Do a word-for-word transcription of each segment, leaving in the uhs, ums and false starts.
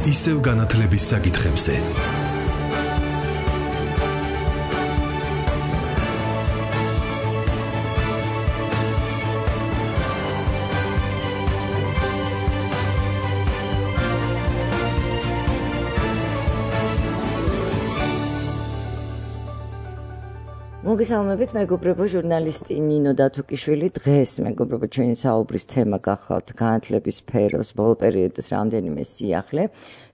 ისევ განათლების საკითხებზე. მოგესალმებით, მეგობრებო, ჟურნალისტი ნინო დათუკიშვილი. დღეს მეგობრებო, ჩვენი საუბრის თემა გახლავთ განათლების სფეროს ბოლო პერიოდის რამდენიმე სიახლე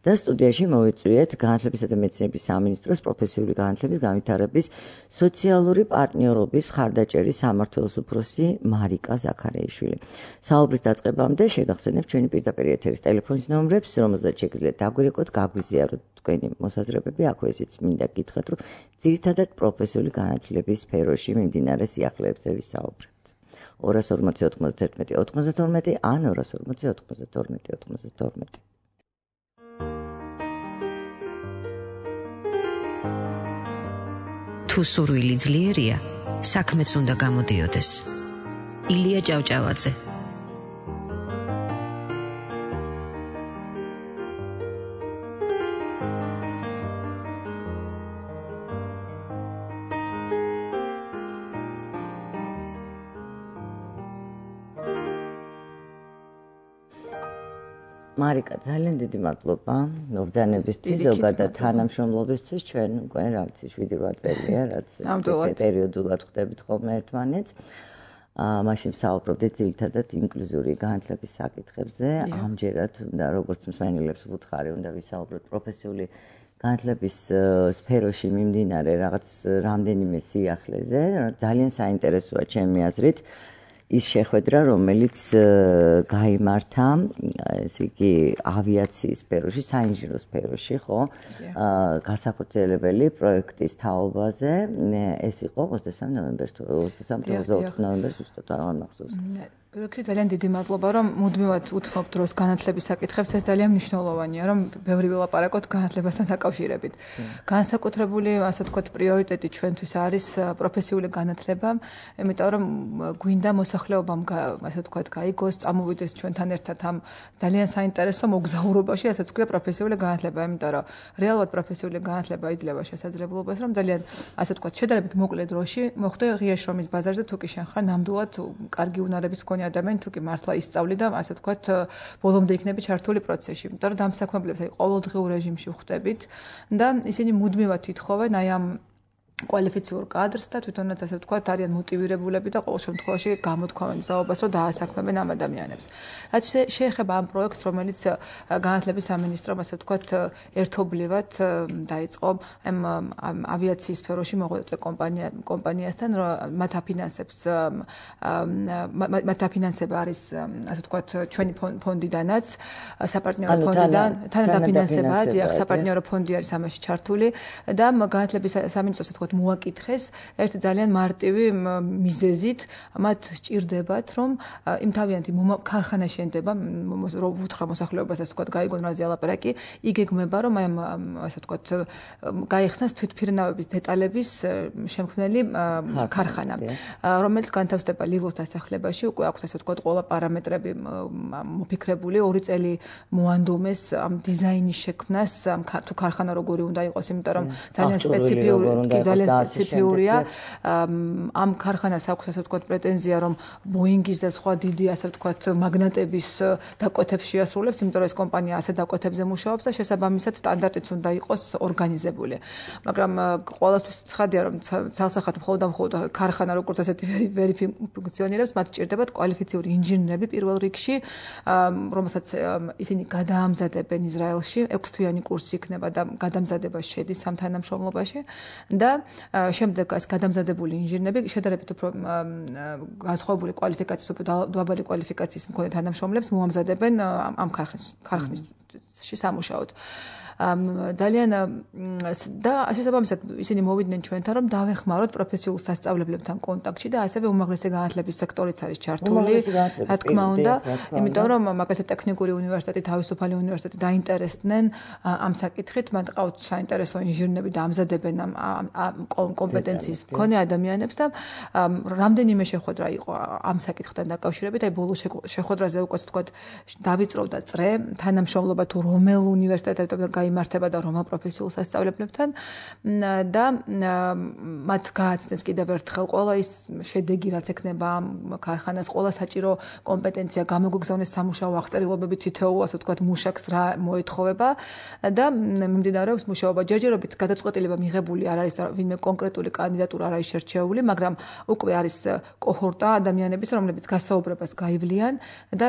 და სტუდიაში მოვიწვიეთ განათლებისა და მეცნიერების სამინისტროს პროფესიული განათლების განვითარების სოციალური პარტნიორობის მხარდაჭერის სამმართველოს უფროსი მარიკა ზაქარიაშვილი. საუბრის დაწყებამდე შეგახსენებთ ჩვენი პირდაპირ ეთერის ტელეფონის ნომრებს, რომელზეც შეგიძლიათ დაგვირეკოთ, გაგვიზიაროთ თქვენი მოსაზრებები. აქვე ისიც მინდა გითხრათ, რომ ძირითადად პროფესიული განათლების სფეროში მიმდინარე სიახლეებზე ვისაუბრებთ. ორას ორმოცი ოთხმოცდაერთმეტი ოთხმოცდათორმეტი ან ორას ორმოცი ოთხმოცდათორმეტი ოთხმოცდათორმეტი. თუ სურვილი ძლიერია, საქმეც უნდა გამოდიოდეს. ილია ჭავჭავაძე. მარიკა, ძალიან დიდი მადლობა მობრძანებისთვის, ზოგადად თანამშრომლობისთვის. ჩვენ უკვე რა ვიცი შვიდი რვა წელია, რაც პერიოდულად ხდებით ხოლმე ერთმანეთს. მაშინ ვსაუბრობდით ძირითადად ინკლუზიური განათლების საკითხებზე. ამჯერად უნდა როგორც მსმენელებს ვუთხარი, უნდა ვისაუბროთ პროფესიული განათლების სფეროში მიმდინარე რაღაც რამდენიმე სიახლეზე. ძალიან საინტერესოა ჩემი აზრით ის შეხვედრა, რომელიც გაიმართა, ესე იგი, ავიაციის სფეროში, საინჟინრო სფეროში, ხო? განსახორციელებელი პროექტის თაობაზე. ეს იყო ოცდასამი ნოემბერს, ოცდასამი ოცდაოთხი ნოემბერს უბრალოდ არ მახსოვს. პირველად ძალიან დიდი მადლობა, რომ მუდმივად უთმობ დროს განათლების საკითხებს. ეს ძალიან მნიშვნელოვანია, რომ ბევრი ვილაპარაკოთ განათლებასთან დაკავშირებით. განსაკუთრებული, ასე ვთქვათ, პრიორიტეტი ჩვენთვის არის პროფესიული განათლება, იმიტომ რომ გვინდა მოსახლეობამ, ასე ვთქვათ, გაიგოს, წამოვიდეს ჩვენთან ერთად ამ ძალიან საინტერესო მოგზაურობაში, ასე ვთქვათ, პროფესიული განათლება, იმიტომ რომ რეალურად პროფესიული განათლება იძლევა შესაძლებლობას, რომ ძალიან, ასე ვთქვათ, შედარებით მოკლე დროში მოხვდე ღია შრომის ბაზარზე, თუ კი შენ ხარ ნამდვილად კარგი უნარების მქონე ადამიანი, თუ კი მართლა ისწავლი და ასე ვთქვათ, ბოლომდე იქნები ჩართული პროცესში. იმიტომ რომ დამსაქმებლებს აი ყოველდღიურ რეჟიმში ვხვდებით და ისინი მუდმივად ითხოვენ აი ამ კვალიფიციურ კადრს და თვითონაც ასე ვთქვათ, არიან მოტივირებულები და ყოველ შემთხვევაში გამოთქვამენ მზაობას, რომ დაასაქმებენ ამ ადამიანებს. რაც შეეხება ამ პროექტს, რომელიც განათლების სამინისტრომ, ასე ვთქვათ, ერთობლივად დაიწყო ამ ავიაციის სფეროში მოღვაწე კომპანია კომპანიასთან, რომ მათ აფინანსებს მათ აფინანსება არის, ასე ვთქვათ, ჩვენი ფონდიდანაც, საპარტნიორო ფონდიდან, თანადაფინანსება, დიახ, საპარტნიორო ფონდი არის ამაში ჩართული და განათლების სამინისტროს მოაკითხეს ერთი ძალიან მარტივი მიზეზით, მათ სჭირდებათ, რომ იმ თავიანთი ქარხანა შენდება, რომ ვუთხრა მოსახლეობას, ასე ვთქვათ, გაიგონ რაზე ალაპარაკი, იგეგმება, რომ აი ასე ვთქვათ, გაიხსნას თვითმფრინავების დეტალების შემქმნელი ქარხანა, რომელიც განთავსდება ლილოს დასახლებაში, უკვე აქვს ასე ვთქვათ, ყველა პარამეტრები მოფიქრებული, ორი წელი მოანდომეს ამ დიზაინის შექმნას, თუ ქარხანა როგორი უნდა იყოს, იმიტომ რომ ძალიან სპეციფიური ძალიან სპეციფიურია. ამ ქარხანას აქვს ასე ვთქვათ პრეტენზია, რომ ბოინგის და სხვა დიდი ასე ვთქვათ მაგნატების დაკვეთებს შეასრულებს, იმიტომ რომ ეს კომპანია ასე დაკვეთებზე მუშაობს და შესაბამისად სტანდარტიც უნდა იყოს ორგანიზებული. მაგრამ ყოველთვის ცხადია, რომ ცალსახად მხოლოდ და მხოლოდ ქარხანა როგორც ასეთი ვერი ფუნქციონირებს, მათ სჭირდებათ კვალიფიციური ინჟინრები პირველ რიგში, რომელსაც ისინი გადაამზადებენ ისრაელში, ექვსთვიანი კურსი იქნება და გადამზადება შედის ამ თანამშრომლობაში და შემდეგ ეს გადამზადებული ინჟინრები შედარებით უფრო განსხვავებული კვალიფიკაციის, უფრო დაბალი კვალიფიკაციის მქონე თანამშრომლებს მოამზადებენ ამ ქარხნის ქარხნისში სამუშაოდ. ძალიან და შესაბამისად ისინი მოვიდნენ ჩვენთან, რომ დავეხმაროთ პროფესიულ სასწავლებლებთან კონტაქტში და ასევე უმაღლესი განათლების სექტორიც არის ჩართული. რა თქმა უნდა, იმიტომ რომ მაგალითად ტექნიკური უნივერსიტეტი, თავისუფალი უნივერსიტეტი დაინტერესდნენ ამ საკითხით, მათ ყავთ საინტერესო ინჟინრები და ამზადებენ ამ კომპეტენციის მქონე ადამიანებს და რამდენიმე შეხვედრა იყო ამ საკითხთან დაკავშირებით, აი ბოლო შეხვედრაზე უკვე თქვათ დავიწროვდა წრე, თანამშრომლობა თუ რომელ უნივერსიტეტებთან გაიმართება და რომელ პროფესიულ სასწავლებლებთან და მათ გააცნეს კიდევ ერთხელ ყველა ის შედეგი, რაც ექნება ამ ქარხანას, ყველა საჭირო კომპეტენცია გამოგვიგზავნეს სამუშაო აღწერილობები თითოეულ, ასე ვთქვათ, მუშაკს რა მოეთხოვება და მიმდინარეობს მუშაობა. ჯერჯერობით გადაწყვეტილება მიღებული არ არის, ვინმე კონკრეტული კანდიდატურა არ არის შერჩეული, მაგრამ უკვე არის კოჰორტა ადამიანების, რომლებიც გასაუბრებას გაივლიან და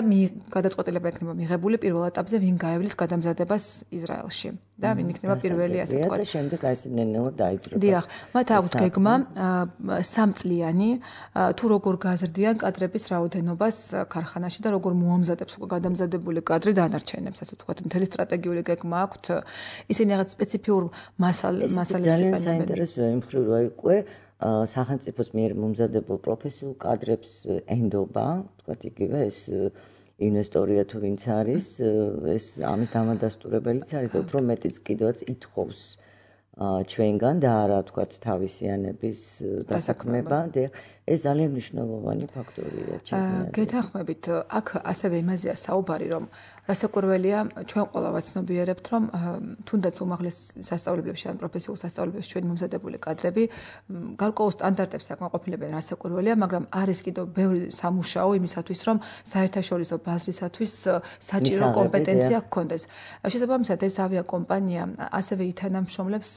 გადაწყვეტილება ექნება მიღებული პირველ ეტაპზე, ვინ გაივლის გადამზადებას ისრაელში და ვინ იქნება პირველი, ასე ვთქვათ. და შემდეგ აი ეს ნელ-ნელა დაიძრება. დიახ, მათ აქვთ გეგმა სამწლიანი თუ როგორ გაზრდიან კადრების რაოდენობას ქარხანაში და როგორ მოამზადებს უკვე გადამზადებული კადრი დანარჩენებს, ასე ვთქვათ, მთელი სტრატეგიული გეგმა აქვთ. ისინი რაღაც სპეციფიურ მასალებს იყენებენ. ძალიან საინტერესოა იმ მხრივ, რომ უკვე სახელმწიფოს მიერ მომზადებულ პროფესიულ კადრებს ენდობა, ვთქვათ, იგივე ეს ინვესტორია თუ ვინც არის, ეს ამის დამადასტურებელიც არის და უფრო მეტიც კიდევაც ითხოვს ჩვენგან და არა ვთქვათ თავისიანების დასაქმება და ეს ძალიან მნიშვნელოვანი ფაქტორია ჩემთვის. გეთანხმებით, აქ ასევე იმაზეა საუბარი, რომ რასაკვირველია, ჩვენ ყველა ვაცნობიერებთ, რომ თუნდაც უმაღლეს სასწავლებლებში ან პროფესიულ სასწავლებლებში ჩვენი მომზადებული კადრები გარკვეულ სტანდარტებს აკმაყოფილებენ, რასაკვირველია, მაგრამ არის კიდევ ბევრი სამუშაო იმისათვის, რომ საერთაშორისო ბაზრისათვის საჭირო კომპეტენცია ჰქონდეს. შესაბამისად, ეს ავიაკომპანია ასევე ითანამშრომლებს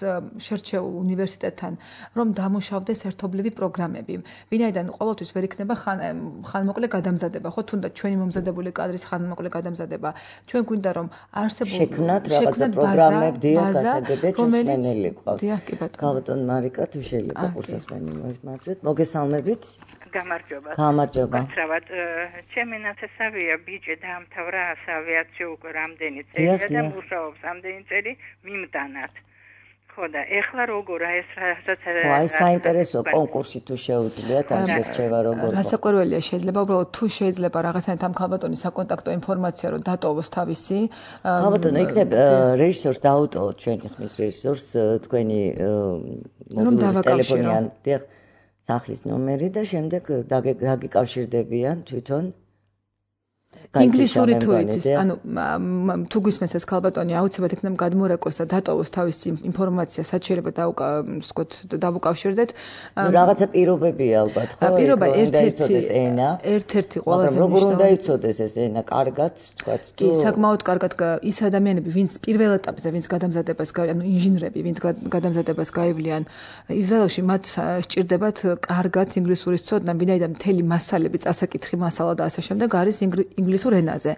შერჩეულ უნივერსიტეტთან, რომ დამუშავდეს ერთობლივი პროგრამები. ვინაიდან ყოველთვის ვერ იქნება ხანმოკლე გადამზადება, ხო, თუნდაც ჩვენი მომზადებული კადრის ხანმოკლე გადამზადება. ჩვენ გვინდა რომ არსებულ შექმნათ რაღაცა პროგრამები დიაგნოზებები ჩვენელი ყავს. გალბატონ მარიკა, თუ შეიძლება კურსასმენი მოისმარჯვეთ. მოგესალმებით. გამარჯობა. გამარჯობა. მართლაც ჩემი ნაცესავია ბიჭი დაამთავრა ავიაციო უკვე რამდენი წელია და მუშაობს რამდენი წელი მიმდანად. ხო და ეხლა როგორ აი ეს რასაც ხო აი საინტერესო კონკურსი თუ შეუძლიათ ამ შერჩევა როგორ რასაკვირველია შეიძლება უბრალოდ თუ შეიძლება რაღაცნაირად ამ ქალბატონის საკონტაქტო ინფორმაცია რომ დატოვოს თავისი ქალბატონო იქნებ რეჟისორს დაუტოვოთ ჩვენი ხმის რეჟისორს თქვენი მობილური ტელეფონი ან დიახ სახლის ნომერი და შემდეგ დაგიკავშირდებიან თვითონ ინგლისური თუ იცის, ანუ თუ გვისმენს ეს ქალბატონი აუცილებლად იქნება გადმორეკოს და დატოვოს თავისი ინფორმაცია, რაც შეიძლება დავუკავოთ, დავუკავშირდეთ. ნუ რაღაცა პირობებია ალბათ, ხო? პირობა ერთ-ერთი ენა. ერთ-ერთი ყველაზე მნიშვნელოვანი. როგორ უნდა იცოდეს ეს ენა, კარგად, თქვათ, თუ კი, საკმაოდ კარგად ის ადამიანები, ვინც პირველ ეტაპზე, ვინც გადამზადებას, ანუ ინჟინრები, ვინც გადამზადებას გაივლიან ისრაელში, მათ სჭირდებათ კარგად ინგლისურის ცოდნა, ვინაიდან მთელი მასალები, წასაკითხი მასალა და ასე შემდეგ არის ინგლისური ენაზე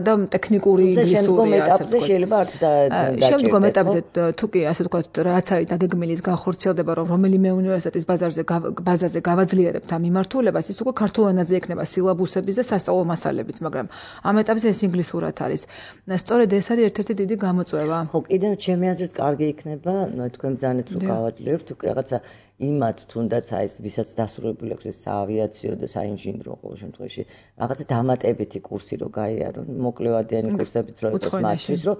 და ტექნიკური ინგლისური ეტაპზე შეიძლება არც დაჭირდეს. შემდგომ ეტაპზე თუ კი ასე ვთქვათ, რაც არის დაგეგმილი განხორციელდება, რომ რომელიმე უნივერსიტეტის ბაზარზე ბაზაზე გავაძლიერებთ ამ მიმართულებას, ის უკვე ქართულ ენაზე იქნება სილაბუსების და სასწავლო მასალებიც, მაგრამ ამ ეტაპზე ეს ინგლისურად არის. სწორედ ეს არის ერთ-ერთი დიდი გამოწვევა. ხო, კიდევ ჩემი აზრით კარგი იქნება, თქვენ ბრძანეთ რომ გავაძლიერებთ, თუ რაღაცა იმათ თუნდაც აი ეს ვისაც დასრულებული აქვს ეს საავიაციო და საინჟინრო ყოველ შემთხვევაში რაღაცა დამატებითი კურსი რო გაიარონ, მოკლევადიანი კურსებიც რო იყოს მათთვის, რომ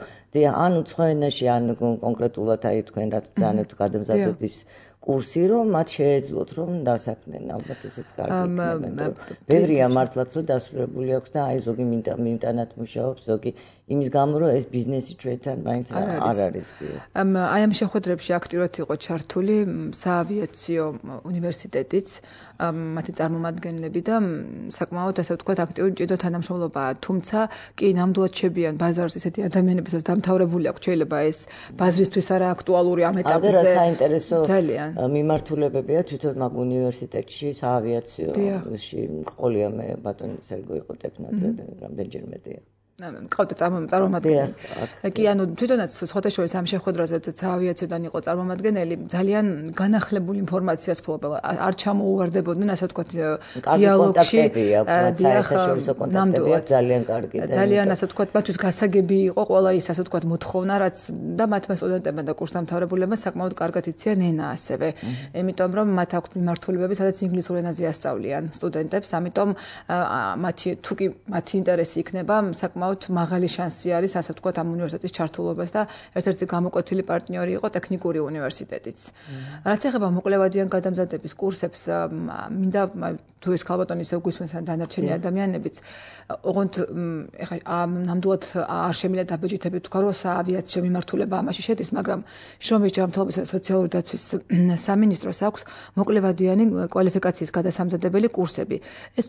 ან უცხო ენაში, ან კონკრეტულად აი თქვენ რაც ბრძანებთ გადამზადების კურსი, რომ მათ შეეძლოთ რომ დასაქმდნენ, ალბათ ესეც კარგი იქნება. ბევრია მართლაც რომ დასრულებული აქვს და აი ზოგი მიმტანად მუშაობს, ზოგი იმის გამო რომ ეს ბიზნესი ჩვენთან მაინც არ არის. აი ამ შეხვედრებში აქტიურად იყო ჩართული საავიაციო უნივერსიტეტიც, მათი წარმომადგენლები და საკმაოდ ასე ვთქვათ აქტიური ჭიდო თანამშრომლობაა, თუმცა კი ნამდვილად შებიან ბაზარს ისეთი ადამიანებიც დამთავრებული აქვს, შეიძლება ეს ბაზრისთვის არა აქტუალური ამ ეტაპზე. და რა საინტერესო მიმართულებებია თვითონ მაგ უნივერსიტეტში საავიაციოში ყოლია მე ბატონი სერგო იყო ტექნაძე და რამდენჯერმე მყავდა წარმომადგენელი. კი, ანუ თვითონაც სხვათა შორის ამ შეხვედრაზე საავიაციოდან იყო წარმომადგენელი, ძალიან განახლებული ინფორმაციას ფლობელა. არ ჩამოუვარდებოდნენ, ასე ვთქვათ, დიალოგში. საერთაშორისო კონტაქტები ძალიან კარგი. ძალიან, ასე ვთქვათ, მათთვის გასაგები იყო ყველა ის, ასე ვთქვათ, მოთხოვნა, რაც და მათმა სტუდენტებმა და კურსდამთავრებულებმა საკმაოდ კარგად იციან ენა ასევე. იმიტომ რომ მათ აქვთ მიმართულებები, სადაც ინგლისურ ენაზე ასწავლიან სტუდენტებს, ამიტომ მათი თუ კი მათი ინტერესი იქნება, საკმაოდ მაღალი შანსი არის, ასე ვთქვათ, ამ უნივერსიტეტის ჩართულობას და ერთ-ერთი გამოკვეთილი პარტნიორი იყო ტექნიკური უნივერსიტეტიც. რაც ეხება მოკვლევადიან გადამზადების კურსებს, მინდა თუ ეს ქალბატონი ისევ გვისმენს დანარჩენი ადამიანებიც, ოღონდ ეხლა ნამდვილად არ შემიძლია დაბეჭდებით თქვა, რომ საავიაციო მიმართულება ამაში შედის, მაგრამ შრომის ჯანმრთელობის და სოციალური დაცვის სამინისტროს აქვს მოკვლევადიანი კვალიფიკაციის გადასამზადებელი კურსები. ეს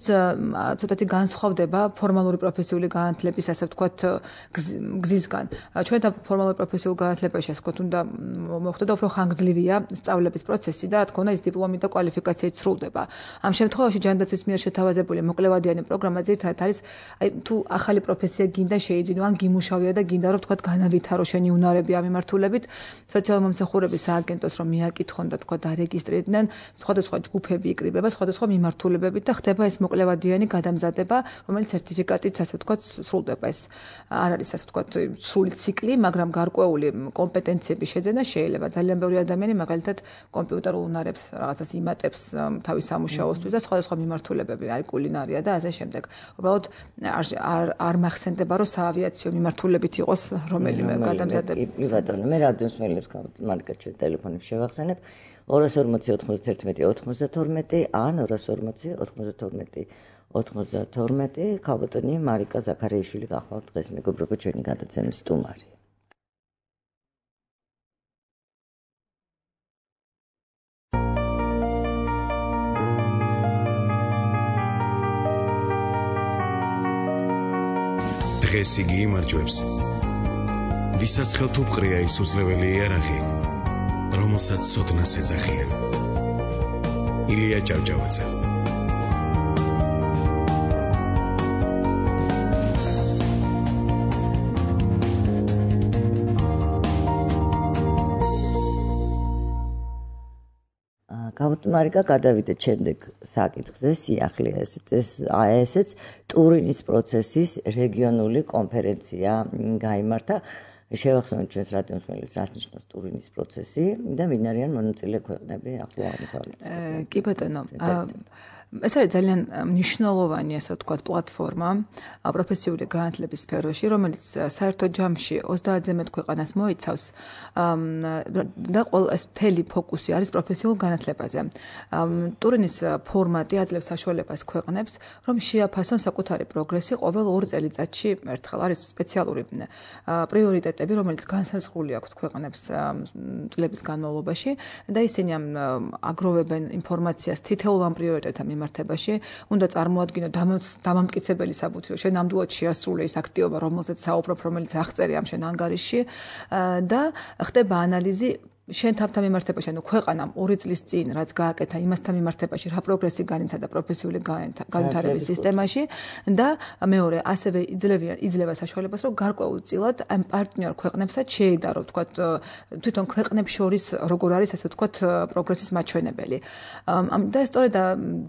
ცოტათი განსხვავდება ფორმალური პროფესიული განათლების, ასე ვთქვათ, გზისგან. ჩვენ და ფორმალური პროფესიულ განათლებაში, ასე ვთქვათ, უნდა მოხდეს უფრო ხანგრძლივია სწავლების პროცესი და რა თქმა უნდა, ის დიპლომი და კვალიფიკაციით სრულდება. ამ შემთხვევაში ჯანდაცვის მიერ შეთავაზებული მოკვლევადიანი პროგრამა ძირითადად არის, აი თუ ახალი პროფესია გინდა შეიძინო, ან გიმუშავია და გინდა რომ ვთქვათ, განავითარო შენი უნარები ამ მიმართულებით, სოციალური მომსახურების სააგენტოს რომ მიაკითხონ და თქვა დარეგისტრირდნენ, სხვადასხვა ჯგუფები იკრიბება, სხვადასხვა მიმართულებებით და ხდება ეს მოკვლევადიანი გადამზადება, რომელიც სერტიფიკატით, ასე ვთქვათ, სრულდება. ეს არ არის, ასე ვთქვათ, სრული ციკლი, მაგრამ გარკვეული კომპეტენციების შეძენა შეიძლება. ძალიან ბევრი ადამიანი მაგალითად კომპიუტერულ უნარებს რაღაცას იმატებს თავის სამუშაოსთვის და სხვადასხვა მიმართულებები, აი კულინარია და ასე შემდეგ. უბრალოდ არ არ მახსენდება, რომ საავიაციო მიმართულებით იყოს რომელიმე გადამზადება. კი ბატონო, მე რადიოს მელებს მარკეტ ჩვენ ტელეფონით შევახსენებ ორი ორმოცი ოცდაათი ოცდათორმეტი ან ორი ორმოცი ოცდათორმეტი ოცდათორმეტი ქალბატონი მარიკა ზაქარიაშვილი გახლავთ დღეს მეგობრებო ჩვენი გადაცემის სტუმარი. დღეს იგი იმარჯვებს, ვისაც ხელთუყრია ის უძლეველი იარაღი, რომელსაც ცოდნას ეძახიან. ილია ჭავჭავაძე. მარიკა, გადავიდეთ შემდეგ საკითხზე, სიახლე ესეც ესეც ტურინის პროცესის რეგიონული კონფერენცია გაიმართა. შევახსენოთ ჩვენს რადიოს მელებს, რას ნიშნავს ტურინის პროცესი და ვინ არიან მონაწილე ქვეყნები ახლო აღმოსავლეთში. კი ბატონო, ეს არის ძალიან მნიშვნელოვანი, ასე ვთქვათ, პლატფორმა პროფესიული განათლების სფეროში, რომელიც საერთო ჯამში ოცდაათზე მეტ ქვეყანას მოიცავს და ყველა ეს მთელი ფოკუსი არის პროფესიულ განათლებაზე. ტურინის ფორმატი აძლევს საშუალებას ქვეყნებს, რომ შეაფასონ საკუთარი პროგრესი ყოველ ორ წელიწადში ერთხელ. არის სპეციალური პრიორიტეტები, რომელიც განსაზღვრული აქვთ ქვეყნებს წლების განმავლობაში და ისინი აგროვებენ ინფორმაციას თითოეულ ამ პრიორიტეტთან მიმართებაში, უნდა წარმოადგინო დამამტკიცებელი საბუთი, რომ შენ ნამდვილად შეასრულე ის აქტივობა, რომელზეც საუბრობ, რომელიც აღწერია ამ შენ ანგარიშში და ხდება ანალიზი შენ თავთან მიმართებაში, ანუ ქვეყანამ ორი წლის წინ რაც გააკეთა, იმასთან მიმართებაში რა პროგრესი განიცადა და პროფესიული განვითარების სისტემაში და მეორე ასევე იძლევა იძლევა საშუალებას, რომ გარკვეულწილად ამ პარტნიორ ქვეყნებსაც შეედარო, ვთქვათ, თვითონ ქვეყნებს შორის როგორ არის, ასე ვთქვათ, პროგრესის მაჩვენებელი. და სწორედ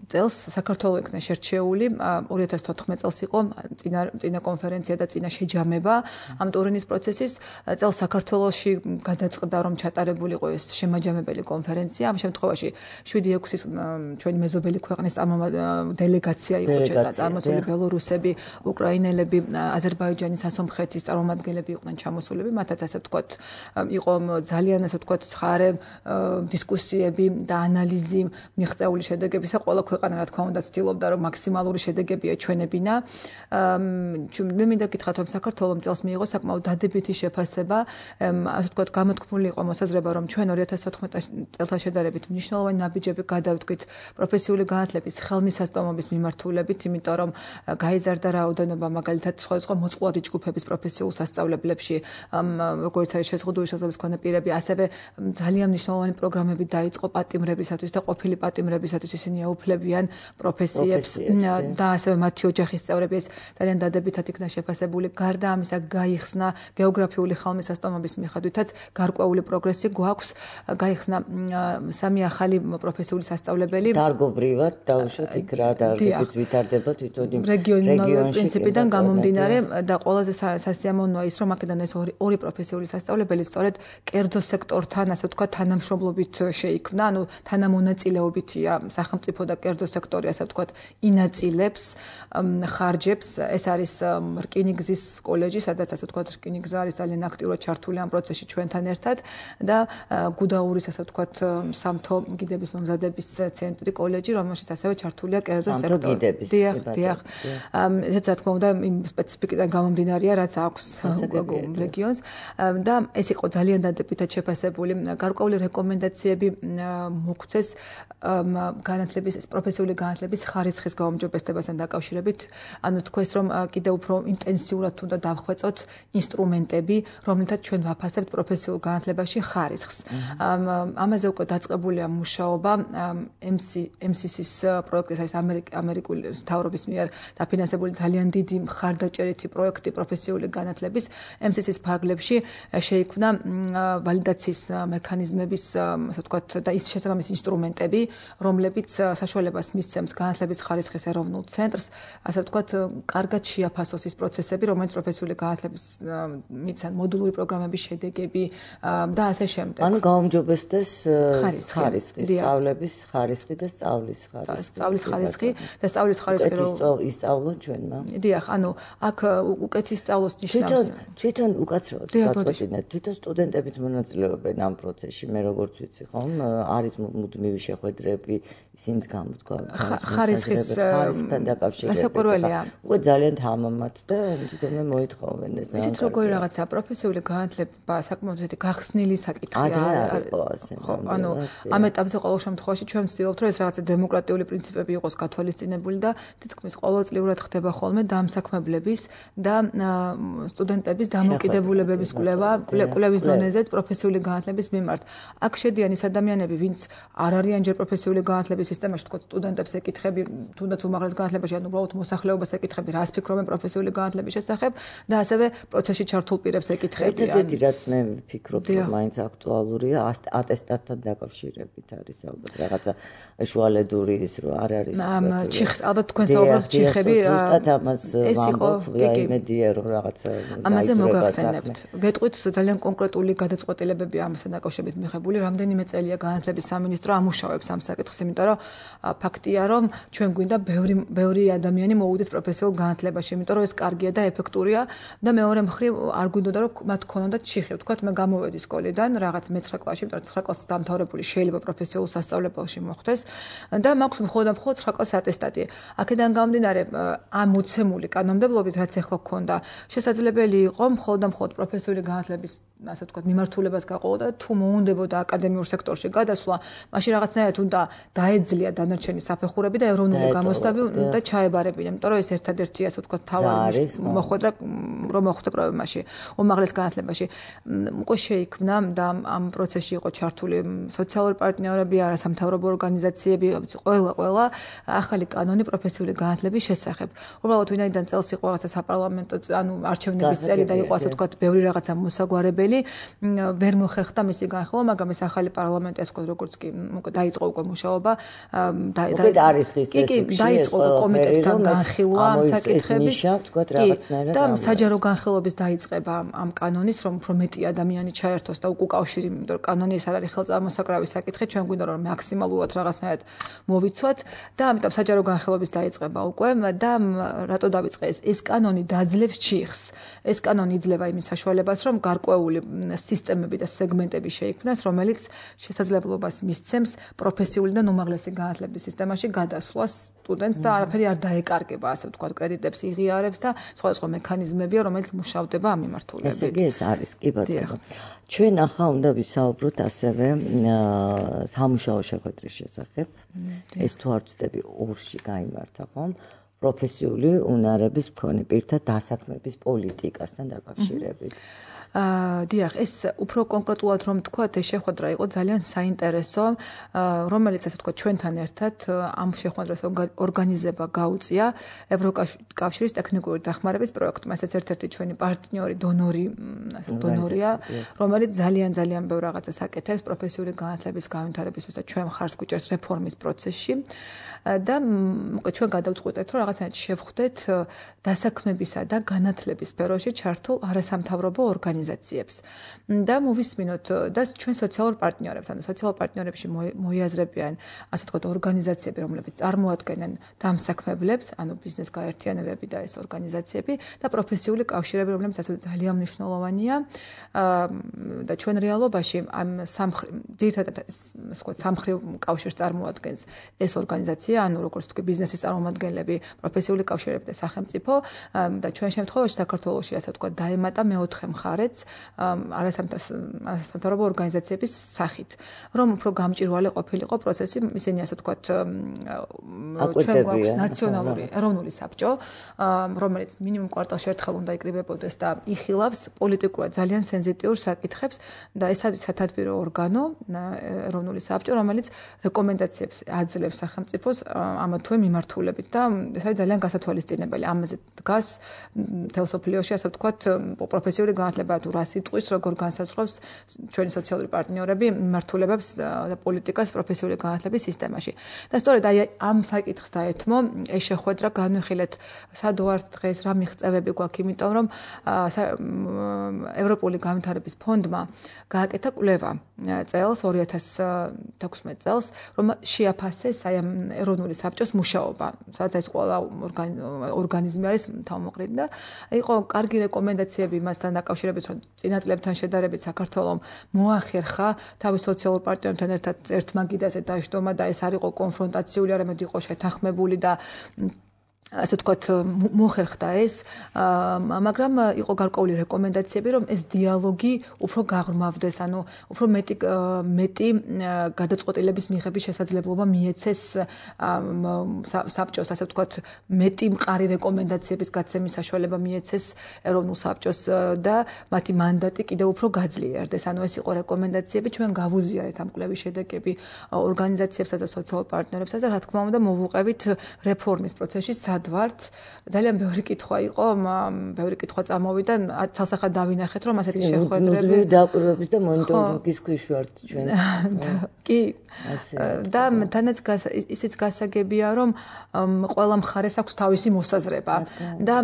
წელს საქართველოს იქნა შერჩეული, ორი ათას თოთხმეტ წელს იყო წინა წინა კონფერენცია და წინა შეჯამება ამ ტურინის პროცესის. წელს საქართველოში გადაწყდა, რომ ჩატარებული იყო ეს შემაჯამებელი конференция. ამ შემთხვევაში შვიდი ექვსი ჩვენი მეზობელი ქვეყნის დელეგაცია იყო წარმოსული, ბელორუსები, უკრაინელები, აზერბაიჯანის, ასომხეთის წარმომადგენლები იყვნენ ჩამოსულები. მათაც ასე ვთქვათ, იყო ძალიან ასე ვთქვათ ცხარე დისკუსიები და ანალიზი მიღწეული შედეგებისა. ყველა ქვეყანა რა თქმა უნდა ცდილობდა, რომ მაქსიმალური შედეგები ეჩვენებინა. მე მინდა გითხრათ, რომ საქართველოს წელს მიიღო საკმაოდ დადებითი შეფასება, ასე ვთქვათ, გამოთქმული იყო მოსაზრება, რომ ჩვენ ორი ათას ოთხმეტ წელთან შედარებით მნიშვნელოვანი ნაბიჯები გადავდგით პროფესიული განათლების ხელმისაწვდომობის მიმართულებით, იმიტომ რომ გაიზარდა რაოდენობა მაგალითად სხვადასხვა მოწყვლადი ჯგუფების პროფესიულ სასწავლებლებში, როგორც არის შეზღუდული შესაძლებლობის მქონე პირები, ასევე ძალიან მნიშვნელოვანი პროგრამები დაიწყო პატიმრებისათვის და ყოფილი პატიმრებისათვის, ისინი აუფლებიან პროფესიებს და ასევე მათი ოჯახის წევრები ეს ძალიან დადებითად იქნა შეფასებული. გარდა ამისა გაიხსნა გეოგრაფიული ხელმისაწვდომობის მიხედვითაც გარკვეული პროგრესი გვაქვს, გაიხსნა სამი ახალი პროფესიული სასწავლებელი. დარგობრივად დავუშვათ იქ რა დარგებით ვითარდება თვითონ რეგიონალური პრინციპიდან გამომდინარე და ყველაზე სასიამოვნოა ის, რომ აქედან ეს ორი ორი პროფესიული სასწავლებელი სწორედ კერძო სექტორთან, ასე ვთქვათ, თანამშრომლობით შეიქმნა, ანუ თანამონაწილეობითია სახელმწიფო და კერძო სექტორი, ასე ვთქვათ, ინაწილებს ხარჯებს. ეს არის რკინიგზის კოლეჯი, სადაც ასე ვთქვათ, რკინიგზა არის ძალიან აქტიურად ჩართული ამ პროცესში ჩვენთან ერთად და გუდაურის, ასე ვთქვათ, სამთო გიდების მომზადების ცენტრი კოლეჯი, რომელშიც ასევე ჩართულია კერძო სექტორი. დიახ, დიახ. ესეც რა თქმა უნდა იმ სპეციფიკიდან გამომდინარეა, რაც აქვს რეგიონს და ეს იყო ძალიან დადებითად შეფასებული. გარკვეული რეკომენდაციები მოგვცეს განათლების, პროფესიული განათლების ხარისხის გაუმჯობესებასთან დაკავშირებით. ანუ თქვეს, რომ კიდევ უფრო ინტენსიურად უნდა დავხვეწოთ ინსტრუმენტები, რომლითაც ჩვენ ვაფასებთ პროფესიულ განათლებაში ხარისხს. ამაზე უკვე დაწყებულია მუშაობა ემ სი სის პროექტის არის ამერიკული მთავრობის მიერ დაფინანსებული ძალიან დიდი მხარდაჭერითი პროექტი პროფესიული განათლების ემ სი სის ფარგლებში შეიქმნა ვალიდაციის მექანიზმების, ასე ვთქვათ, და ის შესაბამისი ინსტრუმენტები, რომლებიც საშუალებას მისცემს განათლების ხარისხის ეროვნულ ცენტრს, ასე ვთქვათ, კარგად შეაფასოს ის პროცესები, რომელიც პროფესიული განათლების მიცან მოდულური პროგრამების შედეგები და ასე შემდეგ. ანუ გაუმჯობესდეს ხარისხი, სწავლების ხარისხი და სწავლის ხარისხი. სწავლის ხარისხი და სწავლის ხარისხი რომ ისწავლონ ჩვენმა. დიახ, ანუ აქ უკეთ ისწავლოს ნიშნავს. თვითონ უკაცრავად გაწყვეტინეთ, თვითონ სტუდენტებიც მონაწილეობენ ამ პროცესში, მე როგორც ვიცი, ხომ, არის მუდმივი შეხვედრები, ისინიც გამოთქვა ხარისხის ხარისხთან დაკავშირებით. ასაკურველია. უკვე ძალიან თამამად და თვითონ მე მოითხოვენ ეს. ისიც როგორი რაღაცა პროფესიული განათლება საკმაოდ ისეთი გახსნილი საკითხია. ადრე არ იყო ასე. ხო, ანუ ამ ეტაპზე ყოველ შემთხვევაში ჩვენ ვცდილობთ, რომ ეს რაღაცა დემოკრატიული პრინციპები იყოს გათვალისწინებული და თითქმის ყოველწლიურად ხდება ხოლმე დამსაქმებლების და სტუდენტების დამოკიდებულებების კვლევა, კვლევის დონეზეც პროფესიული განათლების მიმართ. აქ შედიან ის ადამიანები, ვინც არ არიან ჯერ პროფესიული განათლების სისტემაში, თქო, სტუდენტებს ეკითხები, თუნდაც უმაღლეს განათლებაში, ანუ უბრალოდ მოსახლეობას ეკითხები, რას ფიქრობენ პროფესიული განათლების შესახებ და ასევე პროცესში ჩართულ პირებს ეკითხები. ერთ-ერთი რაც მე ვფიქრობ, რომ მაინც აქტუალურია, ატესტატთან დაკავშირებით არის ალბათ რაღაცა შუალედური ის რო არ არის. ჩიხს ალბათ თქვენ საუბრობთ ჩიხები. ზუსტად ამას ვამბობ, იმედია რომ რაღაცა ამაზე მოგახსენებთ. გეტყვით ძალიან კონკრეტული გადაწყვეტილებები ამასთან დაკავშირებით მიღებული. რამდენიმე წელია განათლების სამინისტრო ამუშავებს ამ საკითხს, იმიტომ რომ ფაქტია, რომ ჩვენ გვინდა ბევრი ბევრი ადამიანი მოვუდეს პროფესიულ განათლებაში, იმიტომ რომ ეს კარგია და ეფექტურია და მეორე მხრივ არ გვინდოდა რომ მათ ქონოდათ ჩიხი. ვთქვათ, მე გამოვედი სკოლიდან რაღაც მეცხრე კლასში, იმიტომ რომ ცხრა კლასის დამთავრებული შეიძლება პროფესიულ სასწავლებელში მოხდეს და მაქვს მხოლოდ და მხოლოდ ცხრა კლასის ატესტატი. აქედან გამომდინარე, ამ მოცემული კანონმდებლობით, რაც ახლა გქონდა, შესაძლებელი იყო მხოლოდ და მხოლოდ პროფესიული განათლების, ასე ვთქვათ, მიმართულებას გაყოლო და თუ მოუნდებოდა აკადემიურ სექტორში გადასვლა, მაშინ რაღაცნაირად უნდა დაეძლია დანარჩენი საფეხურები და ეროვნული გამოსტები და ჩაებარებინა, იმიტომ რომ ეს ერთადერთი, ასე ვთქვათ, თავარი მოხვედრა რომ მოხვდა პრობლემაში, უმაღლეს განათლებაში. უკვე შეიქმნა და ამ პროცესში იყო ჩართული სოციალური პარტნიორები, არასამთავრობო ორგანიზაციები, ყველა ყველა ახალი კანონი პროფესიული განათლების შესახებ. უბრალოდ ვინაიდან წელს იყო რაღაცა საპარლამენტო, ანუ არჩევნების წელი და იყო, ასე ვთქვათ, ბევრი რაღაცა მოსაგვარებელი, ვერ მოხერხდა მისი განხილვა, მაგრამ ეს ახალი პარლამენტი, ასე ვთქვათ, როგორც კი დაიწყო უკვე მუშაობა, და არის დღის წესში დაიწყო კომიტეტთან განხილვა ამ საკითხების და საჯარო განხილვების დაიწყება ამ კანონის, რომ უფრო მეტი ადამიანი ჩაერთოს და უკავშირი, იმიტომ რომ კანონი ეს არ არის ხელწამოსაკრავი საკითხი, ჩვენ გვინდა რომ მაქსიმალურად რაღაცნაირად მოვიცვათ და ამიტომ საჯარო განხილვების დაიწყება უკვე და რატო დავიწყე ეს ეს კანონი დაძლევს ჩიხს. ეს კანონი იძლევა იმის საშუალებას, რომ გარკვეული სპეციფიკური სისტემები და სეგმენტები შეიქმნას, რომელიც შესაძლებლობას მისცემს პროფესიული და უმაღლესი განათლების სისტემაში გადასვლას სტუდენტს და არაფერი არ დაეკარგება, ასე ვთქვათ, კრედიტებს იღიარებს და სხვადასხვა მექანიზმებია, რომელიც მუშავდება ამ მიმართულებით. ესე იგი ეს არის, კი ბატონო. ჩვენ ახლა უნდა ვისაუბროთ ასევე სამუშაო შეხვედრის შესახებ. ეს თუ არ ვცდები ორში გაიმართა ხომ? პროფესიული უნარების მქონე პირთა დასაქმების პოლიტიკასთან დაკავშირებით. აა დიახ, ეს უფრო კონკრეტულად რომ ვთქვათ, ეს შეხვედრა იყო ძალიან საინტერესო, რომელიც ასე ვთქვათ, ჩვენთან ერთად ამ შეხვედრას ორგანიზება გაუწია ევროკავშირის ტექნიკური დახმარების პროექტმა. ესეც ერთ-ერთი ჩვენი პარტნიორი, დონორი, ასე დონორია, რომელიც ძალიან ძალიან ბევრ რაღაცას აკეთებს პროფესიული განათლების განვითარებისთვის და ჩვენ მხარს გვიჭერს რეფორმის პროცესში. და მოკლედ ჩვენ გადავწყვეტეთ, რომ რაღაცნაირად შევხვდეთ დასაქმებისა და განათლების სფეროში ჩართულ არასამთავრობო ორგანიზაციებს და მოვისმინოთ და ჩვენ სოციალურ პარტნიორებს, ანუ სოციალურ პარტნიორებში მოიაზრებიან, ასე ვთქვათ, ორგანიზაციები, რომლებიც წარმოადგენენ დამსაქმებლებს, ანუ ბიზნეს გაერთიანებები და ეს ორგანიზაციები და პროფესიული კავშირები, რომლებიც ასე ძალიან მნიშვნელოვანია და ჩვენ რეალობაში ამ ძირითადად სამხრივ კავშირს წარმოადგენს ეს ორგანიზაცია, ანუ როგორც თქვი ბიზნესის წარმომადგენლები, პროფესიული კავშირები და სახელმწიფო და ჩვენ შემთხვევაში საქართველოში ასე ვთქვათ დაემატა მეოთხე მხარეც არასამთავრობო ორგანიზაციების სახით, რომ უფრო გამჭვირვალე ყოფილიყო პროცესი, ისინი ასე ვთქვათ ჩვენ გვაქვს ნაციონალური ეროვნული საბჭო, რომელიც მინიმუმ კვარტალში ერთხელ უნდა იკრიბებოდეს და იხილავს პოლიტიკურად ძალიან სენზიტიურ საკითხებს და ეს არის სათადბირო ორგანო, ეროვნული საბჭო, რომელიც რეკომენდაციებს აძლევს სახელმწიფოს ამა თუ იმ მიმართულებით და ეს არის ძალიან გასათვალისწინებელი. ამაზე დგას თელსოფლიოში, ასე ვთქვათ, პროფესიული განათლება თუ რა სიტყვის, როგორ განსაზღვრავს ჩვენი სოციალური პარტნიორები მიმართულებებს და პოლიტიკას პროფესიული განათლების სისტემაში. და სწორედ აი ამ საკითხს დაეთმო ეს შეხვედრა, განვიხილეთ სად ვართ დღეს, რა მიღწევები გვაქვს, იმიტომ რომ ევროპული განვითარების ფონდმა გააკეთა კვლევა წელს ორი ათას თექვსმეტ წელს, რომ შეაფასეს აი ამ ეროვნული საბჭოს მუშაობა, სადაც ეს ყველა ორგანიზმი არის თავმოყრილი და იყო კარგი რეკომენდაციები მასთან დაკავშირებით, რომ წინა წლებთან შედარებით საქართველოს მოახერხა თავის სოციალურ პარტნიორებთან ერთად ერთმაგიდაზე დაждდომა და ეს არ იყო კონფრონტაციული, არამედ იყო შეთანხმებული და ასე ვთქვათ, მოხერხდა ეს, მაგრამ იყო გარკვეული რეკომენდაციები, რომ ეს დიალოგი უფრო გაღრმავდეს, ანუ უფრო მეტი მეტი გადაწყვეტილების მიღების შესაძლებლობა მიეცეს საბჭოს, ასე ვთქვათ, მეტი მყარი რეკომენდაციების გაცემის საშუალება მიეცეს ეროვნულ საბჭოს და მათი მანდატი კიდევ უფრო გაძლიერდეს. ანუ ეს იყო რეკომენდაციები, ჩვენ გავუზიარეთ ამ კვლევის შედეგები ორგანიზაციებსაც და სოციალურ პარტნიორებსაც და რა თქმა უნდა მოვუყევით რეფორმის პროცესში ვართ. ძალიან ბევრი კითხვა იყო, ბევრი კითხვა წამოვიდა, ცალსახად დავინახეთ, რომ ასეთი შეხვედრები ნუძვი დაკვირვების და მონიტორინგის ქვეშ ვართ ჩვენ. კი. და თანაც ისიც გასაგებია, რომ ყველა მხარეს აქვს თავისი მოსაზრება და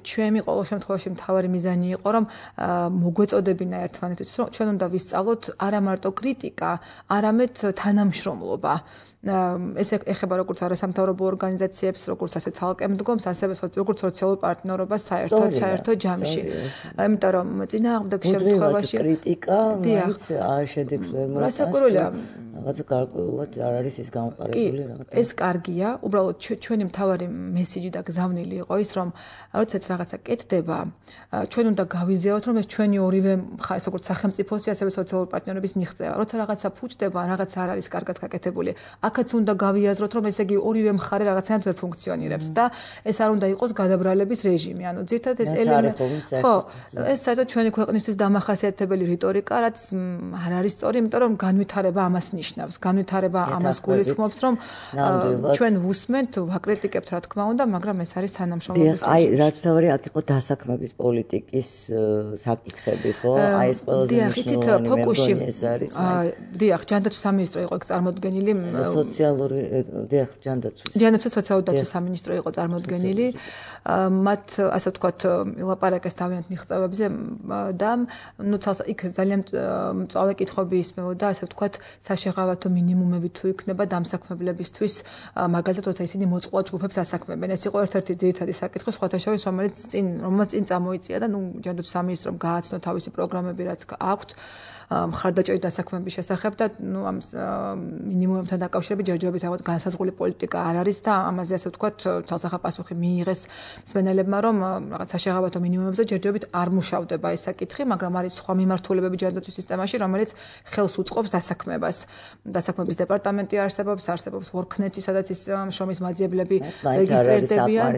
ჩვენი ყოველ შემთხვევაში მთავარი მიზანი იყო, რომ მოგვეწოდებინა ერთმანეთს, რომ ჩვენ უნდა ვისწავლოთ არა მარტო კრიტიკა, არამედ თანამშრომლობა. ეს ეხება როგორც არასამთავრობო ორგანიზაციებს, როგორც ასე ცალკე მდგომს, ასევე როგორც სოციალურ პარტნიორობას საერთოდ საერთო ჯამში. იმიტომ რომ წინააღმდეგ შემთხვევაში კრიტიკა მაინც არ შედეგს ვერ მოაქვს. რასაკვირველია, რაღაცა გარკვეულად არ არის ის გამყარებული რაღაცა. ეს კარგია, უბრალოდ ჩვენი მთავარი მესიჯი და გზავნილი იყო ის, რომ როდესაც რაღაცა კეთდება, ჩვენ უნდა გავიზიაროთ, რომ ეს ჩვენი ორივე მხარეს, როგორც სახელმწიფოსი, ასევე სოციალურ პარტნიორების მიღწევა. როცა რაღაცა ფუჭდება, რაღაცა არ არის კარგად გაკეთებული, აქაც უნდა გავიაზროთ, რომ ესე იგი ორივე მხარე რაღაცნაირად ვერ ფუნქციონირებს და ეს არ უნდა იყოს გადაბრალების რეჟიმი. ანუ ძირითადად ეს ელემენტი, ხო, ეს საერთოდ ჩვენი ქვეყნისთვის დამახასიათებელი რიტორიკა, რაც არ არის სწორი, იმიტომ რომ განვითარება ამას ნიშნავს. განვითარება ამას გულისხმობს, რომ ჩვენ ვუსმენთ, ვაკრიტიკებთ, რა თქმა უნდა, მაგრამ ეს არის თანამშრომლობის. აი, რაც თავი აქ იყო დასაქმების პოლიტიკის საკითხები, ხო? აი ეს ყველაზე მნიშვნელოვანი მეგონი ეს არის. დიახ, ჯანდაცვის სამინისტრო იყო წარმოდგენილი სოციალური დიახ ჯანდაცვის ჯანდაცვის სოციალური დაცვის სამინისტრო იყო წარმოდგენილი. მათ ასე ვთქვათ ილაპარაკეს თავიანთ მიღწევებზე და ნუ იქ ძალიან მწვავე კითხვები ისმევოდა, ასე ვთქვათ, საშეღავ სასახელავათო მინიმუმები თუ იქნება დამსაქმებლებისთვის, მაგალითად, როცა ისინი მოწყვლად ჯგუფებს ასაქმებენ. ეს იყო ერთ-ერთი ძირითადი საკითხი, სხვათა შორის, რომელიც წინ, რომელმაც წინ წამოიწია და ნუ ჯანდაცვის სამინისტრომ გააცნო თავისი პროგრამები, რაც აქვთ. მხარდაჭერით დასაქმების შესახებ და ნუ ამ მინიმუმებთან დაკავშირებით ჯერჯერობით რაღაც განსაზღვრული პოლიტიკა არ არის და ამაზე ასე ვთქვათ თალსახა პასუხი მიიღეს მსმენელებმა რომ რაღაც საშეღავათო მინიმუმებზე ჯერჯერობით არ მუშავდება ეს საკითხი, მაგრამ არის სხვა მიმართულებები ჯანდაცვის სისტემაში, რომელიც ხელს უწყობს დასაქმებას. დასაქმების დეპარტამენტი არსებობს, არსებობს WorkNet-ი, სადაც ის შრომის მაძიებლები რეგისტრირდებიან.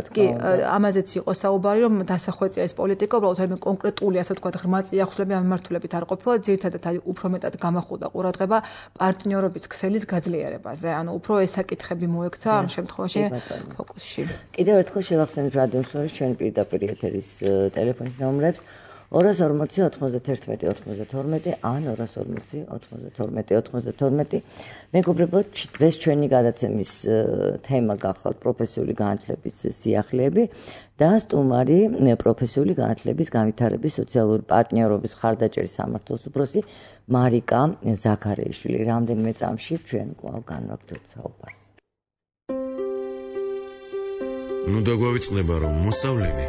კი, ამაზეც იყო საუბარი, რომ დასახვეწია ეს პოლიტიკა, უბრალოდ აი კონკრეტული ასე ვთქვათ ღრმა წიაღისვლები ამ მიმართულებით არ ყოფილა. ძირითადად უფრო მეტად გამახვილდა ყურადღება პარტნიორობის ქსელის გაძლიერებაზე. ანუ უფრო ეს საკითხები მოექცა ამ შემთხვევაში ფოკუსში. კიდევ ერთხელ შევახსენებ რადიომსმენელს ჩვენი პირდაპირ ეთერის ტელეფონის ნომრებს ორას ორმოცი ოთხმოცდათერთმეტი ოცდათორმეტი ან ორას ორმოცი ოცდათორმეტი ოცდათორმეტი. მეგობრებო, დღეს ჩვენი გადაცემის თემა გახლავთ პროფესიული განათლების სიახლეები და სტუმარი პროფესიული განათლების განვითარების სოციალური პარტნიორობის ხარდაჭერის სამართლის უფროსი მარიკა ზაქარიაშვილი. რამდენიმე წამში ჩვენ კვლავ განვაგრძობთ საუბარს. ნუ დაგვავიწყდება რომ მოსავლენი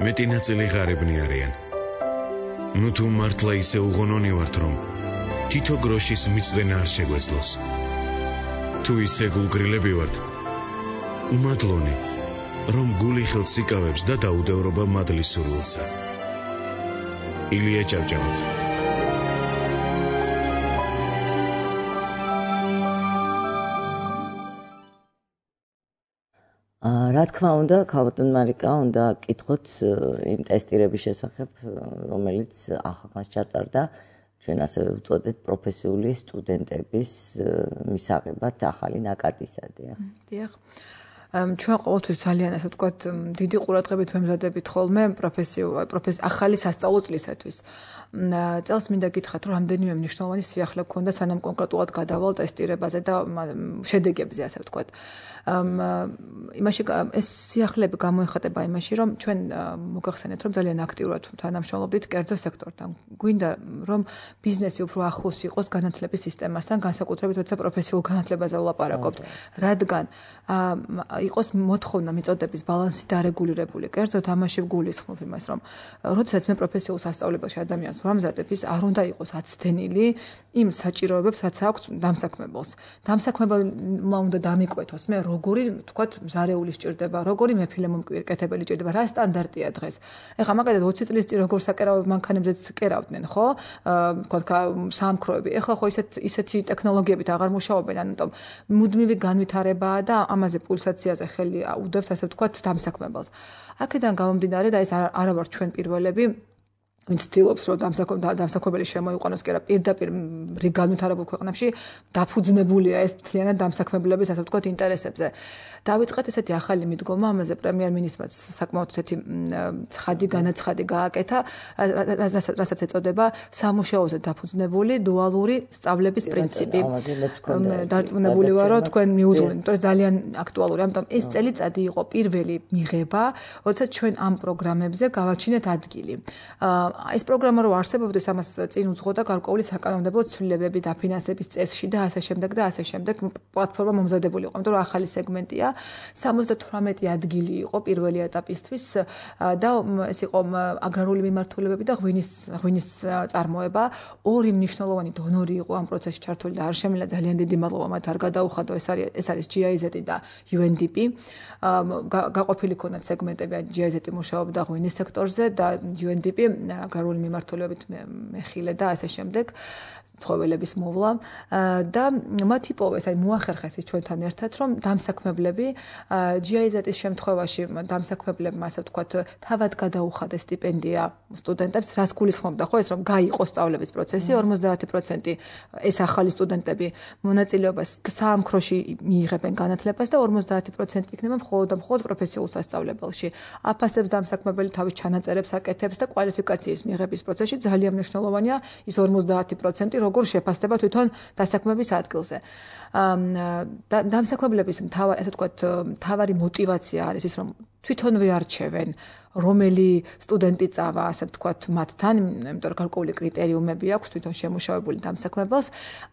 მეტი ნაწილი ღარიბნი არიან. ნუ თუ მართლა ისე უღონონი ვართ რომ თითო გროშის მიწვენა არ შეგვეძლოს. თუ ისე გულგრილები ვართ უმადლონი რომ გული ხელს იკავებს და დაუდევრობა მადლის სურვილსა. ილია ჭავჭავაძე. რა თქმა უნდა, ქალბატონ მარიკა, უნდა კითხოთ იმ ტესტირების შესახებ, რომელიც ახალგაზრდას ჩატარდა, ჩვენ ასე ვწოდეთ პროფესიული სტუდენტების მისაღებად ახალი ნაკადისადია. დიახ. ჩვენ ყოველთვის ძალიან ასე ვთქვათ, დიდი ყურადღებით ვემზადებით ხოლმე პროფესიულ ახალი სასწავლო წლისათვის. წელს მინდა გითხრათ, რომ რამდენიმე მნიშვნელოვანი სიახლე გქონდა, სანამ კონკრეტულად გადავალ ტესტირებაზე და შედეგებზე, ასე ვთქვათ. იმაში ეს სიახლეები გამოიხატება იმაში, რომ ჩვენ მოგახსენეთ, რომ ძალიან აქტიურად თანამშრომლობდით კერძო სექტორთან. გვინდა, რომ ბიზნესი უფრო ახლოს იყოს განათლების სისტემასთან, განსაკუთრებით როცა პროფესიულ განათლებაზე ვლაპარაკობთ, რადგან იყოს მოთხოვნა მიწოდების ბალანსი დარეგულირებული. კერძოდ ამაში ვგულისხმობ იმას, რომ როდესაც მე პროფესიულ სასწავლებელში ადამიანს ვამზადებ, ის არ უნდა იყოს აცდენილი იმ საჭიროებებს, რაც აქვს დამსაქმებელს. დამსაქმებელმა უნდა დამიკვეთოს მე როგორი, თქვათ, მზარეული სჭირდება, როგორი მეფილე მომკვირკეთებელი სჭირდება, რა სტანდარტია დღეს. ეხლა მაგალითად ოცი წლის წინ როგორ საკერავებ მანქანებზეც კერავდნენ, ხო? თქვათ საამქროები. ეხლა ხო ისეთ ისეთი ტექნოლოგიებით აღარ მუშაობენ, ამიტომ მუდმივი განვითარებაა და ამაზე პულსაციაზე ხელი უდევს, ასე ვთქვათ, დამსაქმებელს. აქედან გამომდინარე და ეს არა ვარ ჩვენ პირველები, ვინც ცდილობს, რომ დამსაქმებელი შემოიყვანოს კი არა პირდაპირ რიგ განვითარებულ ქვეყნებში დაფუძნებულია ეს მთლიანად დამსაქმებლების, ასე ვთქვათ, ინტერესებზე. დავიწყეთ ესეთი ახალი მიდგომა, ამაზე პრემიერ-მინისტრმა საკმაოდ ესეთი ცხადი განაცხადი გააკეთა, რასაც ეწოდება სამუშაოზე დაფუძნებული დუალური სწავლების პრინციპი. დარწმუნებული ვარ, რომ თქვენ მიუძღვნით, იმიტომ რომ ძალიან აქტუალური. ამიტომ ეს წელიწადი იყო პირველი მიღება, როდესაც ჩვენ ამ პროგრამებზე გავაჩინეთ ადგილი. ეს პროგრამა რო არსებობდეს, ამას წინ უძღოდა გარკვეული საკანონმდებლო ცვლილებები დაფინანსების წესში და ასე შემდეგ და ასე შემდეგ. პლატფორმა მომზადებული იყო, იმიტომ რომ ახალი სეგმენტია. სამოცდათვრამეტი ადგილი იყო პირველი ეტაპისთვის და ეს იყო აგრარული მიმართულებები და ღვინის ღვინის წარმოება. ორი მნიშვნელოვანი დონორი იყო ამ პროცესში ჩართული და არ შემიძლია ძალიან დიდი მადლობა მათ არ გადაუხადო. ეს არის ეს არის ჯი აი ზეტი და იუ ენ დი პი. გაყოფილი ქონდათ სეგმენტები, ჯი აი ზეტი მუშაობდა ღვინის სექტორზე და იუ ენ დი პი აგრარული მიმართულებით მეხილე და ასე შემდეგ. ცხოველების მოვლა და მათ იპოვეს, აი მოახერხეს ის ჩვენთან ერთად, რომ დამსაქმებლები ჯი აი ზეტის შემთხვევაში დამსაქმებლებმა, ასე ვთქვათ, თავად გადაუხადეს სტიპენდია სტუდენტებს, რას გულისხმობდა, ხო, ეს რომ გაიყოს სწავლების პროცესი, ორმოცდაათი პროცენტი ეს ახალი სტუდენტები მონაწილეობას საამქროში მიიღებენ განათლებას და ორმოცდაათი პროცენტი იქნება მხოლოდ და მხოლოდ პროფესიულ სასწავლებელში. აფასებს დამსაქმებელი თავის ჩანაწერებს აკეთებს და კვალიფიკაციის მიღების პროცესში ძალიან მნიშვნელოვანია ის ორმოცდაათი პროცენტი როგორ შეფასდება თვითონ დასაქმების ადგილზე. დამსაქმებლების მთავარი, ასე ვთქვათ, მთავარი мотиваცია არის ის, რომ თვითონვე არჩევენ რომელი სტუდენტი წავა, ასე ვთქვათ, მათთან, იმიტომ რომ გარკვეული კრიტერიუმები აქვს თვითონ შემუშავებული დამსაქმებელს,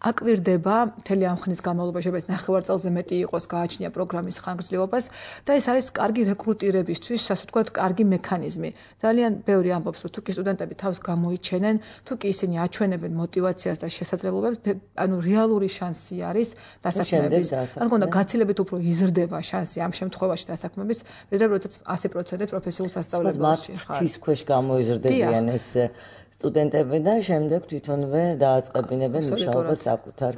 აკვირდება მთელი ამ ხნის განმავლობაში, ეს ნახევარ წელზე მეტი იყოს, გააჩნია პროგრამის ხანგრძლივობას და ეს არის კარგი რეკრუტირებისთვის, ასე ვთქვათ, კარგი მექანიზმი. ძალიან ბევრი ამბობს, რომ თუ კი სტუდენტები თავს გამოიჩენენ, თუ კი ისინი აჩვენებენ мотиваციას და შესაძლებლობებს, ანუ რეალური შანსი არის დასაქმების. ან გონდა გაცილებით უფრო იზრდება შანსი ამ შემთხვევაში დასაქმების, ვიდრე როდესაც ასი პროცენტი პროფესიულ სასწავლებელში ხარ. თვის ქვეშ გამოიზრდებიან ეს სტუდენტები და შემდეგ თვითონვე დააწყებინებენ მუშაობას საკუთარ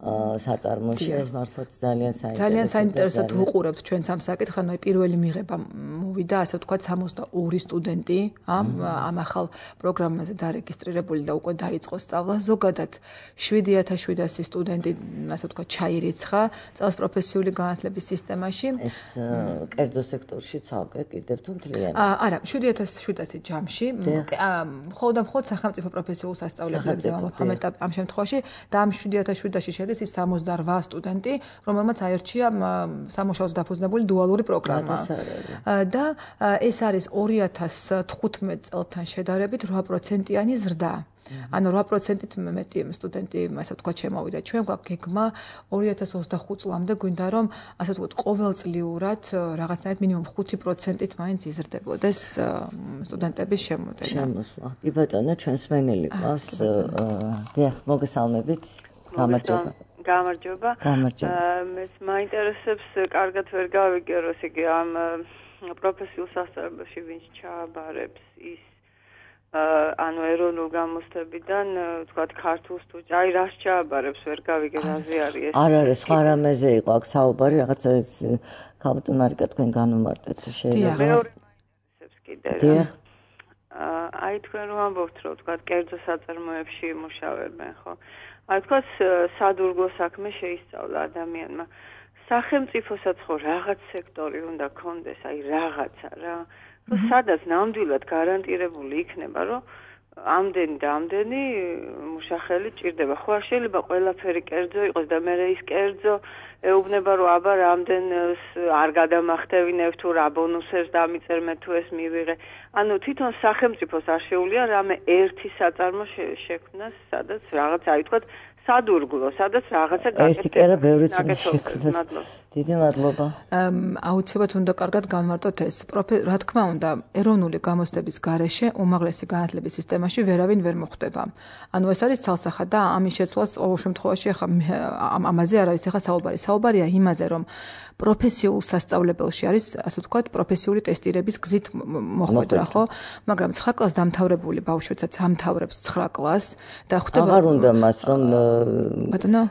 საწარმოში. ეს მართლაც ძალიან საინტერესო. ძალიან საინტერესოდ ვუყურებთ ჩვენს ამ საკითხს, ანუ პირველი მიღება მოვიდა, ასე ვთქვათ, სამოცდაორი სტუდენტი ამ ამ ახალ პროგრამაზე დარეგისტრირებული და უკვე დაიწყო სწავლა. ზოგადად შვიდი ათას შვიდასი სტუდენტი, ასე ვთქვათ, ჩაირიცხა წელს პროფესიული განათლების სისტემაში. ეს კერძო სექტორში ცალკე კიდევ თუ მთლიანი? არა, შვიდი ათას შვიდასი ჯამში. მხოლოდ და მხოლოდ სახელმწიფო პროფესიულ სასწავლებლებზე ვამბობ ამ შემთხვევაში და ამ შვიდი ათას შვიდასი შედის ის სამოცდაორ სტუდენტი, რომელმაც აირჩია სამუშაოს დაფუძნებული დუალური პროგრამა. და ეს არის ორი ათას თხუთმეტ წელთან შედარებით რვა პროცენტიანი ზრდა. ანუ რვა პროცენტით მეტი სტუდენტი, ასე ვთქვათ, შემოვიდა. ჩვენ გვაქვს გეგმა ორი ათას ოცდახუთ წლამდე გვინდა რომ, ასე ვთქვათ, ყოველწლიურად რაღაცნაირად მინიმუმ ხუთი პროცენტით მაინც იზრდებოდეს სტუდენტების შემოდენა. შემოსვლა. კი ბატონო, ჩვენს მენელი ყავს. დიახ, მოგესალმებით. გამარჯობა. გამარჯობა. გამარჯობა. მეც მაინტერესებს, კარგად ვერ გავიგერო, ესე იგი ამ პროფესიულ სასწავლებელში ვინც ჩააბარებს ის ანუ ეროვნულ გამოცდებიდან, ვთქვათ, ქართულ სტუდენტს, აი რას ჩააბარებს, ვერ გავიგე რაზე არის ეს. არ არის, სხვა რამეზე იყო აქ საუბარი, რაღაცა ეს ქალბატონ მარიკა თქვენ განუმარტეთ თუ შეიძლება. მეორე მაინტერესებს კიდე. დიახ. აი თქვენ რომ ამბობთ, რომ ვთქვათ, კერძო საწარმოებში იმუშავებენ, ხო? აი თქვათ, სადურგლო საქმე შეისწავლა ადამიანმა. სახელმწიფოსაც ხო რაღაც სექტორი უნდა კონდეს, აი რაღაცა რა. რომ სადაც ნამდვილად გარანტირებული იქნება, რომ ამდენი და ამდენი მუშახელი ჭირდება. ხო არ შეიძლება ყველაფერი კერძო იყოს და მე ის კერძო ეუბნება, რომ აბა რამდენს არ გადამახტევინებ თუ რა ბონუსებს დამიწერ მე თუ ეს მივიღე. ანუ თვითონ სახელმწიფოს არ შეუძლია რამე ერთი საწარმო შექმნას, სადაც რაღაც აი თქვათ სადურგლო, სადაც რაღაცა გაკეთდეს. ერთი კერა ბევრიც უნდა შექმნას. დიდი მადლობა. აუცილებლად უნდა კარგად განვარტოთ ეს. რა თქმა უნდა, ეროვნული გამოცდების გარეშე უმაღლესი განათლების სისტემაში ვერავინ ვერ მოხვდება. ანუ ეს არის ცალსახად და ამის შეცვლას ყოველ შემთხვევაში ახლა ამაზე არ არის ახლა საუბარი. საუბარია იმაზე, რომ პროფესიულ სასწავლებელში არის, ასე ვთქვათ, პროფესიული ტესტირების გზით მოხვედრა, ხო? მაგრამ ცხრა კლასს დამთავრებული ბავშვებსაც ამთავრებს ცხრა კლასს და ხვდება აღარ უნდა მას რომ ბატონო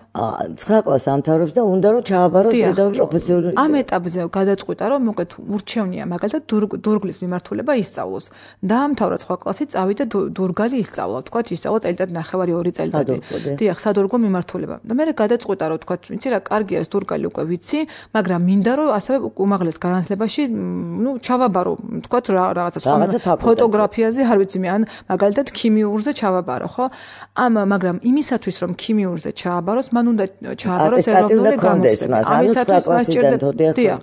ცხრა კლასს ამთავრებს და უნდა რომ ჩააბაროს პედაგოგ პროფესიული. ამ ეტაპზე გადაწყვიტა რომ მოკეთ ურჩევნია მაგალითად დურგლის მიმართულება ისწავლოს. დაამთავრა ცხრა კლასი, წავიდა დურგალი ისწავლა, ვთქვათ, ისწავლა წელიწად ნახევარი ორი წელიწადი. დიახ, სადურგლო მიმართულება. და მე გადაწყვიტა რომ ვთქვათ, ვიცი რა, კარგია ეს დურგალი უკვე ვიცი, მაგრამ მინდა რომ ასევე უმაღლეს განათლებაში, ნუ ჩავაბარო, თქვათ რაღაცა სხვა ფოტოგრაფიაზე, არ ვიცი მე, ან მაგალითად ქიმიურზე ჩავაბარო, ხო? ამ მაგრამ იმისათვის რომ ქიმიურზე ჩააბაროს, მან უნდა ჩააბაროს ეროვნული გამოცდება. ამისათვის მას ჭირდება.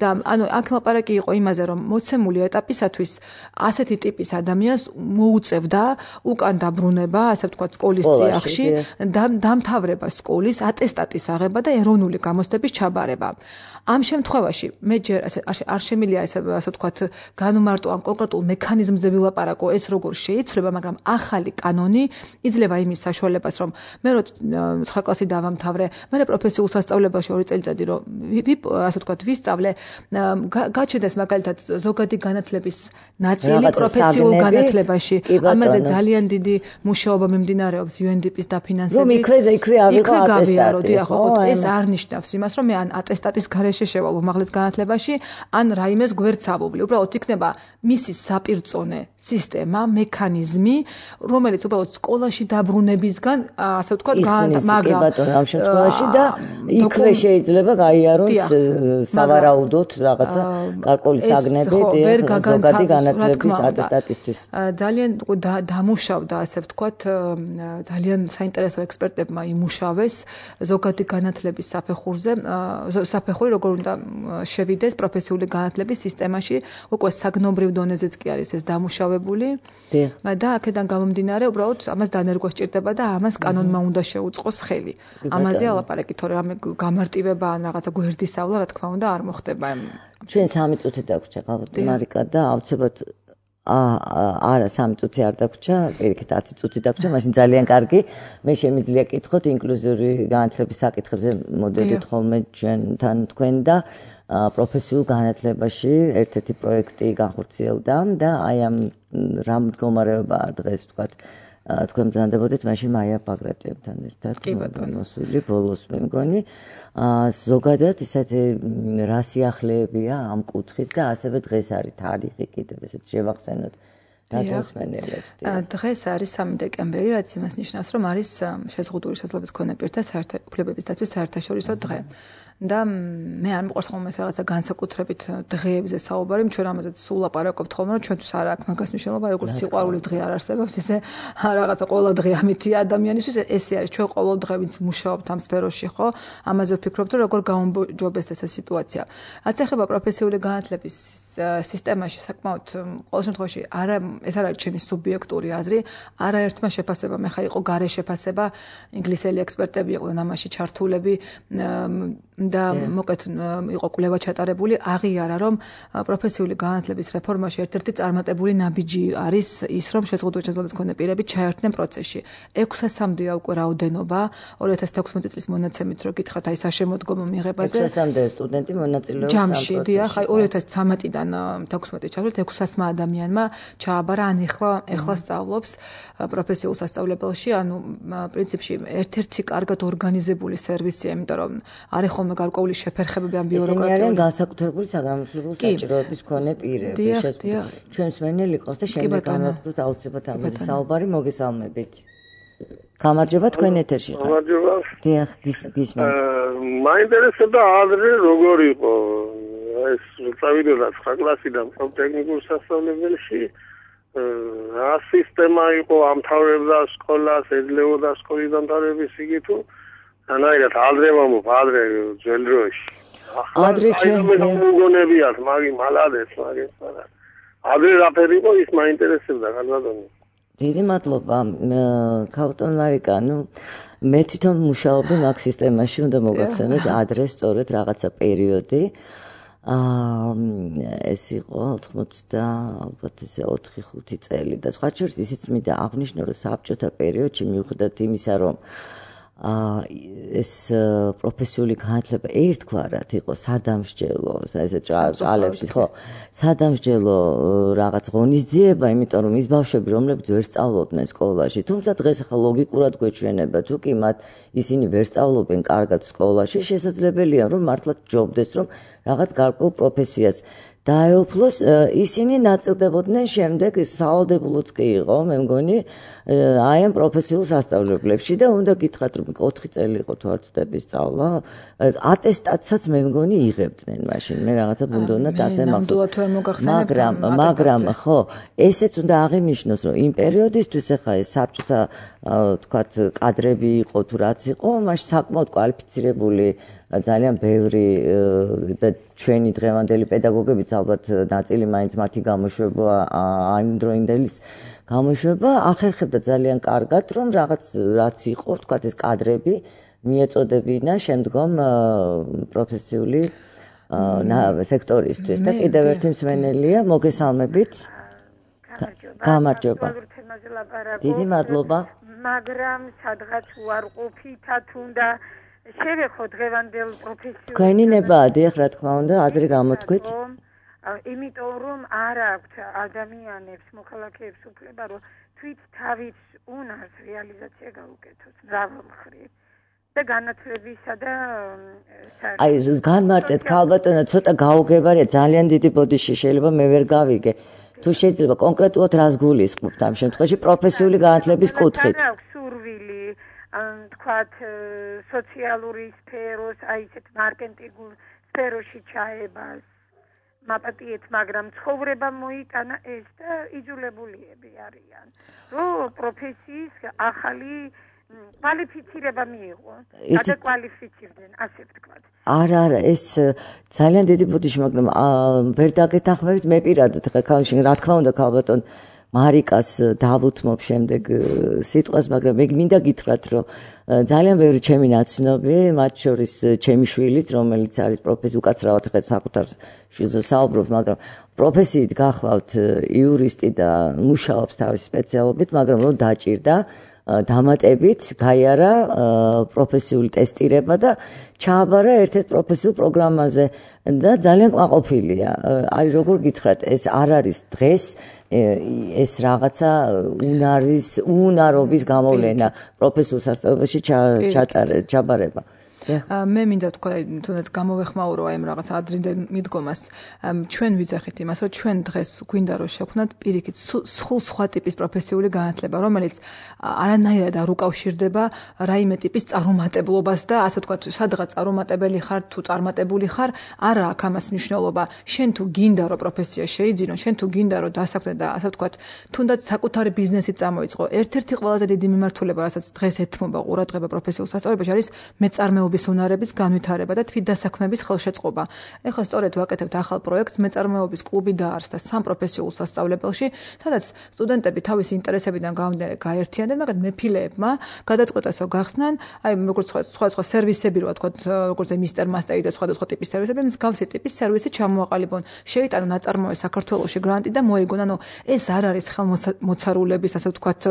და ანუ აქ ლაპარაკი იყო იმაზე, რომ მოცემული ეტაპისათვის ასეთი ტიპის ადამიანს მოუწევდა უკან დაბრუნება, ასე ვთქვათ, სკოლის წიაღში, დამთავრება სკოლის, ატესტატის აღება და ეროვნული გამოცდების ჩაბარება. ამ შემთხვევაში მე ჯერ ასე არ შემიძლია ესე ასე ვთქვათ განუმარტო ან კონკრეტულ მექანიზმზე ვილაპარაკო ეს როგორ შეიცვლება, მაგრამ ახალი კანონი იძლევა იმის საშუალებას, რომ მე რო ცხრა კლასი დავამთავრე, მე პროფესიულ სასწავლებელში ორი წელიწადი რომ ასე ვთქვათ ვისწავლე, გაჩნდეს მაგალითად ზოგადი განათლების ნაწილი პროფესიულ განათლებაში. ამაზე ძალიან დიდი მუშაობა მიმდინარეობს იუ ენ დი პის დაფინანსებით. რომ იქვე და იქვე ავიღო ატესტატი. ხო, ეს არ ნიშნავს იმას, რომ მე ან ატესტატის გარეშე შევალ უმაღლეს განათლებაში, ან რაიმეს გვერდს ავუვლი. უბრალოდ იქნება მისი საპირწონე სისტემა, მექანიზმი, რომელიც უბრალოდ სკოლაში დაბრუნებისგან, ასე ვთქვათ, იხსნის კი ბატონო ამ შემთხვევაში და იქვე შეიძლება გაიაროს სავარაუდოდ რაღაცა გარკვეული საგნები ზოგადი განათლების ატესტატისთვის. ძალიან დამუშავდა, ასე ვთქვათ, ძალიან საინტერესო ექსპერტებმა იმუშავეს ზოგადი განათლების საფეხურზე, საფეხური როგორ უნდა შევიდეს პროფესიული განათლების სისტემაში, უკვე საგნობრივ დონეზეც კი არის ეს დამუშავებული. და აქედან გამომდინარე, უბრალოდ ამას დანერგვა სჭირდება და ამას კანონმა უნდა შეუწყოს ხელი. ამაზე ალაპარაკი, თორე რამე გამარტივება ან რაღაცა გვერდისავლა, რა თქმა უნდა, არ მოხდება. ჩვენ სამი წუთი დაგვრჩა, მარიკა და აუცილებლად არა სამი წუთი არ დაგვრჩა, პირიქით ათი წუთი დაგვრჩა, მაშინ ძალიან კარგი. მე შემიძლია კითხოთ ინკლუზიური განათლების საკითხებზე მოდედით ხოლმე ჩვენთან თქვენ და პროფესიულ განათლებაში ერთ-ერთი პროექტი განხორციელდა და აი ამ რა მდგომარეობაა დღეს თქვათ თქვენ ბრძანდებოდეთ მაშინ მაია ბაგრატიევთან ერთად მოსული ბოლოს მე მგონი ზოგადად ისეთი რა სიახლეებია ამ კუთხით და ასევე დღეს არის თარიღი კიდევ ესეც შევახსენოთ დათმობილებს. დღეს არის სამი დეკემბერი, რაც იმას ნიშნავს, რომ არის შეზღუდული შესაძლებლობის მქონე პირთა უფლებების დაცვის საერთაშორისო დღე. და მე არ მიყვარს ხოლმე ეს რაღაცა განსაკუთრებით დღეებზე საუბარი, ჩვენ ამაზეც სულ ლაპარაკობთ ხოლმე, რომ ჩვენთვის არ აქვს მაგას მნიშვნელობა, როგორც სიყვარულის დღე არ არსებობს, ისე რაღაცა ყველა დღე ამითია ადამიანისთვის, ესე არის ჩვენ ყოველ დღე ვინც მუშაობთ ამ სფეროში, ხო? ამაზე ვფიქრობთ, რომ როგორ გაუმჯობესდეს ეს სიტუაცია. რაც ეხება პროფესიული განათლების სისტემაში საკმაოდ ყოველ შემთხვევაში არა ეს არ არის ჩემი სუბიექტური აზრი, არაერთმა შეფასებამ ეხა იყო გარე შეფასება, ინგლისელი ექსპერტები იყვნენ ამაში ჩართულები და მოკეთ იყო კვლევა ჩატარებული, აღიარა რომ პროფესიული განათლების რეფორმაში ერთ-ერთი წარმატებული ნაბიჯი არის ის, რომ შეზღუდული შესაძლებლობის მქონე პირები ჩაერთნენ პროცესში. ექვსასამდეა უკვე რაოდენობა, ორი ათას თექვსმეტი წლის მონაცემით რო გითხრათ, აი საშემოდგომო მიღებაზე. ექვსასამდე სტუდენტი მონაწილეობს ამ პროცესში. ჯამში, დიახ, აი ორი ათას ცხრამეტიდან თექვსმეტი ჩავშალეთ ექვსასმა ადამიანმა ჩააბარა, ან ეხლა ეხლა სწავლობს პროფესიულ სასწავლებელში, ანუ პრინციპში ერთ-ერთი კარგად ორგანიზებული სერვისია, იმიტომ რომ არის ხოლმე გარკვეული შეფერხებები ამ ბიუროკრატიული. ისინი არიან განსაკუთრებული საგანმანათლებლო საჭიროების მქონე pirები, შესაძლოა ჩვენს მენელი იყოს და შემდეგ განვაგრძელოთ აუცილებლად ამაზე საუბარი, მოგესალმებით. გამარჯობა თქვენ ეთერში ხართ. გამარჯობა. დიახ, გისმენთ. მაინტერესებდა ადრე როგორ იყო ეს წავიდოდა ცხრა კლასიდან ტექნიკურ სასწავლებელში რა სისტემა იყო ამთავრებდა სკოლას, ეძლეოდა სკოლის დამთავრების იგივე თუ ანაირად ადრე მომო ადრე ძველ დროში ადრე ჩვენ მოგონებიათ მაგი მალადეს მაგი ადრე რაფერი იყო ის მაინტერესებდა განვადონი. დიდი მადლობა ქალბატონ მარიკა, ნუ მე თვითონ მუშაობდი მაგ სისტემაში, უნდა მოგახსენოთ ადრე სწორედ რაღაცა პერიოდი აა ეს იყო ოთხმოცი და ალბათ ესე ოთხი ხუთი წელი და სხვა შორის ისიც მინდა აღნიშნო, რომ საბჭოთა პერიოდში მიუხედავად იმისა, რომ აა ეს პროფესიული განათლება ერთგვარად იყო სადამსჯელო, ესე ჭალებში, ხო, სადამსჯელო რაღაც ღონისძიება, იმიტომ რომ ის ბავშვები, რომლებიც ვერ სწავლობდნენ სკოლაში, თუმცა დღეს ახლა ლოგიკურად გვეჩვენება, თუ კი მათ ისინი ვერ სწავლობენ კარგად სკოლაში, შესაძლებელია რომ მართლაც ჯობდეს, რომ რაღაც გარკვეულ პროფესიას დაეუფლოს, ისინი ნაწილდებოდნენ შემდეგ სავალდებულოც კი იყო, მე მგონი, აი ამ პროფესიულ სასწავლებლებში და უნდა გითხრათ, რომ ოთხი წელი იყო თუ არ ვცდები სწავლა, ატესტატსაც მე მგონი იღებდნენ მაშინ, მე რაღაცა ბუნდოვნა დაზე მახსოვს. მაგრამ, მაგრამ ხო, ესეც უნდა აღინიშნოს, რომ იმ პერიოდისთვის ახლა ეს საბჭოთა თქვათ კადრები იყო თუ რაც იყო, მაშინ საკმაოდ კვალიფიცირებული ძალიან ბევრი და ჩვენი დღევანდელი პედაგოგებიც ალბათ ნაწილი მაინც მათი გამოშვება ამ დროინდელის გამოშვება ახერხებდა ძალიან კარგად, რომ რაღაც რაც იყო, თქვათ ეს კადრები მიეწოდებინა შემდგომ პროფესიული სექტორისთვის და კიდევ ერთი მსმენელია, მოგესალმებით. გამარჯობა. დიდი მადლობა. მაგრამ სადღაც უარყოფითად უნდა შევეხო დღევანდელ პროფესიულ თქვენი ნება, დიახ, რა თქმა უნდა, აზრი გამოთქვით. იმიტომ რომ არ აქვთ ადამიანებს, მოქალაქეებს უფლება, რომ თვით თავის უნარს რეალიზაცია გაუკეთოს მრავალ მხრივ. და განათლებისა და აი განმარტეთ ქალბატონო, ცოტა გაუგებარია, ძალიან დიდი ბოდიში შეიძლება მე ვერ გავიგე. თუ შეიძლება კონკრეტულად რას გულისხმობთ ამ შემთხვევაში პროფესიული განათლების კუთხით? სურვილი თქვათ, სოციალური სფეროს, აი ესეთ მარკეტინგულ სფეროში ჩაებას მაპატიეთ, მაგრამ ცხოვრება მოიტანა ეს და იძულებულიები არიან, რომ პროფესიის ახალი კვალიფიცირება მიიღო. გადაკვალიფიცირდნენ, ასე ვთქვათ. არა, არა, ეს ძალიან დიდი ბოდიში, მაგრამ ვერ დაგეთანხმებით მე პირადად ხა ქალში, რა თქმა უნდა, ქალბატონ მარიკას დავუთმობ შემდეგ სიტყვას, მაგრამ მე მინდა გითხრათ, რომ ძალიან ბევრი ჩემი ნაცნობი, მათ შორის ჩემი შვილიც, რომელიც არის პროფესი, უკაცრავად ხეთ საკუთარ შვილზე საუბრობ, მაგრამ პროფესიით გახლავთ იურისტი და მუშაობს თავის სპეციალობით, მაგრამ რომ დაჭირდა დამატებით გაიარა პროფესიული ტესტირება და ჩააბარა ერთ-ერთ პროფესიულ პროგრამაზე და ძალიან კმაყოფილია. აი როგორ გითხრათ, ეს არ არის დღეს ეს რაღაცა უნარის უნარობის გამოვლენა პროფესიულ სასწავლებელში ჩაბარება. მე მინდა თქვა, თუნდაც გამოვეხმაურო აი ამ რაღაც ადრინდელ მიდგომას. ჩვენ ვიძახით იმას, რომ ჩვენ დღეს გვინდა რომ შევქმნათ პირიქით სულ სხვა ტიპის პროფესიული განათლება, რომელიც არანაირად არ უკავშირდება რაიმე ტიპის წარუმატებლობას და ასე ვთქვათ, სადღაც წარუმატებელი ხარ თუ წარმატებული ხარ, არა აქვს ამას მნიშვნელობა. შენ თუ გინდა რომ პროფესია შეიძინო, შენ თუ გინდა რომ დასაქმდე და ასე ვთქვათ, თუნდაც საკუთარი ბიზნესი წამოიწყო. ერთ-ერთი ყველაზე დიდი მიმართულება, რასაც დღეს ეთმობა ყურადღება პროფესიულ სასწავლებელში, არის მეწარმეობა უნარების განვითარება და თვითდასაქმების ხელშეწყობა. ეხლა სწორედ ვაკეთებთ ახალ პროექტს მეწარმეობის კლუბი დაარსდა სამ პროფესიულ სასწავლებელში, სადაც სტუდენტები თავისი ინტერესებიდან გამომდინარე გაერთიანდნენ, მაგრამ მეფილეებმა გადაწყვეტეს რომ გახსნან, აი როგორც სხვა სხვა სერვისები რო ვთქვათ, როგორც მისტერ მასტერი და სხვადასხვა ტიპის სერვისები, მსგავსი ტიპის სერვისი ჩამოაყალიბონ. შეიტანონ ნაწარმოე საქართველოში გრანტი და მოიგონ. ანუ ეს არ არის ხელმოცარულების, ასე ვთქვათ,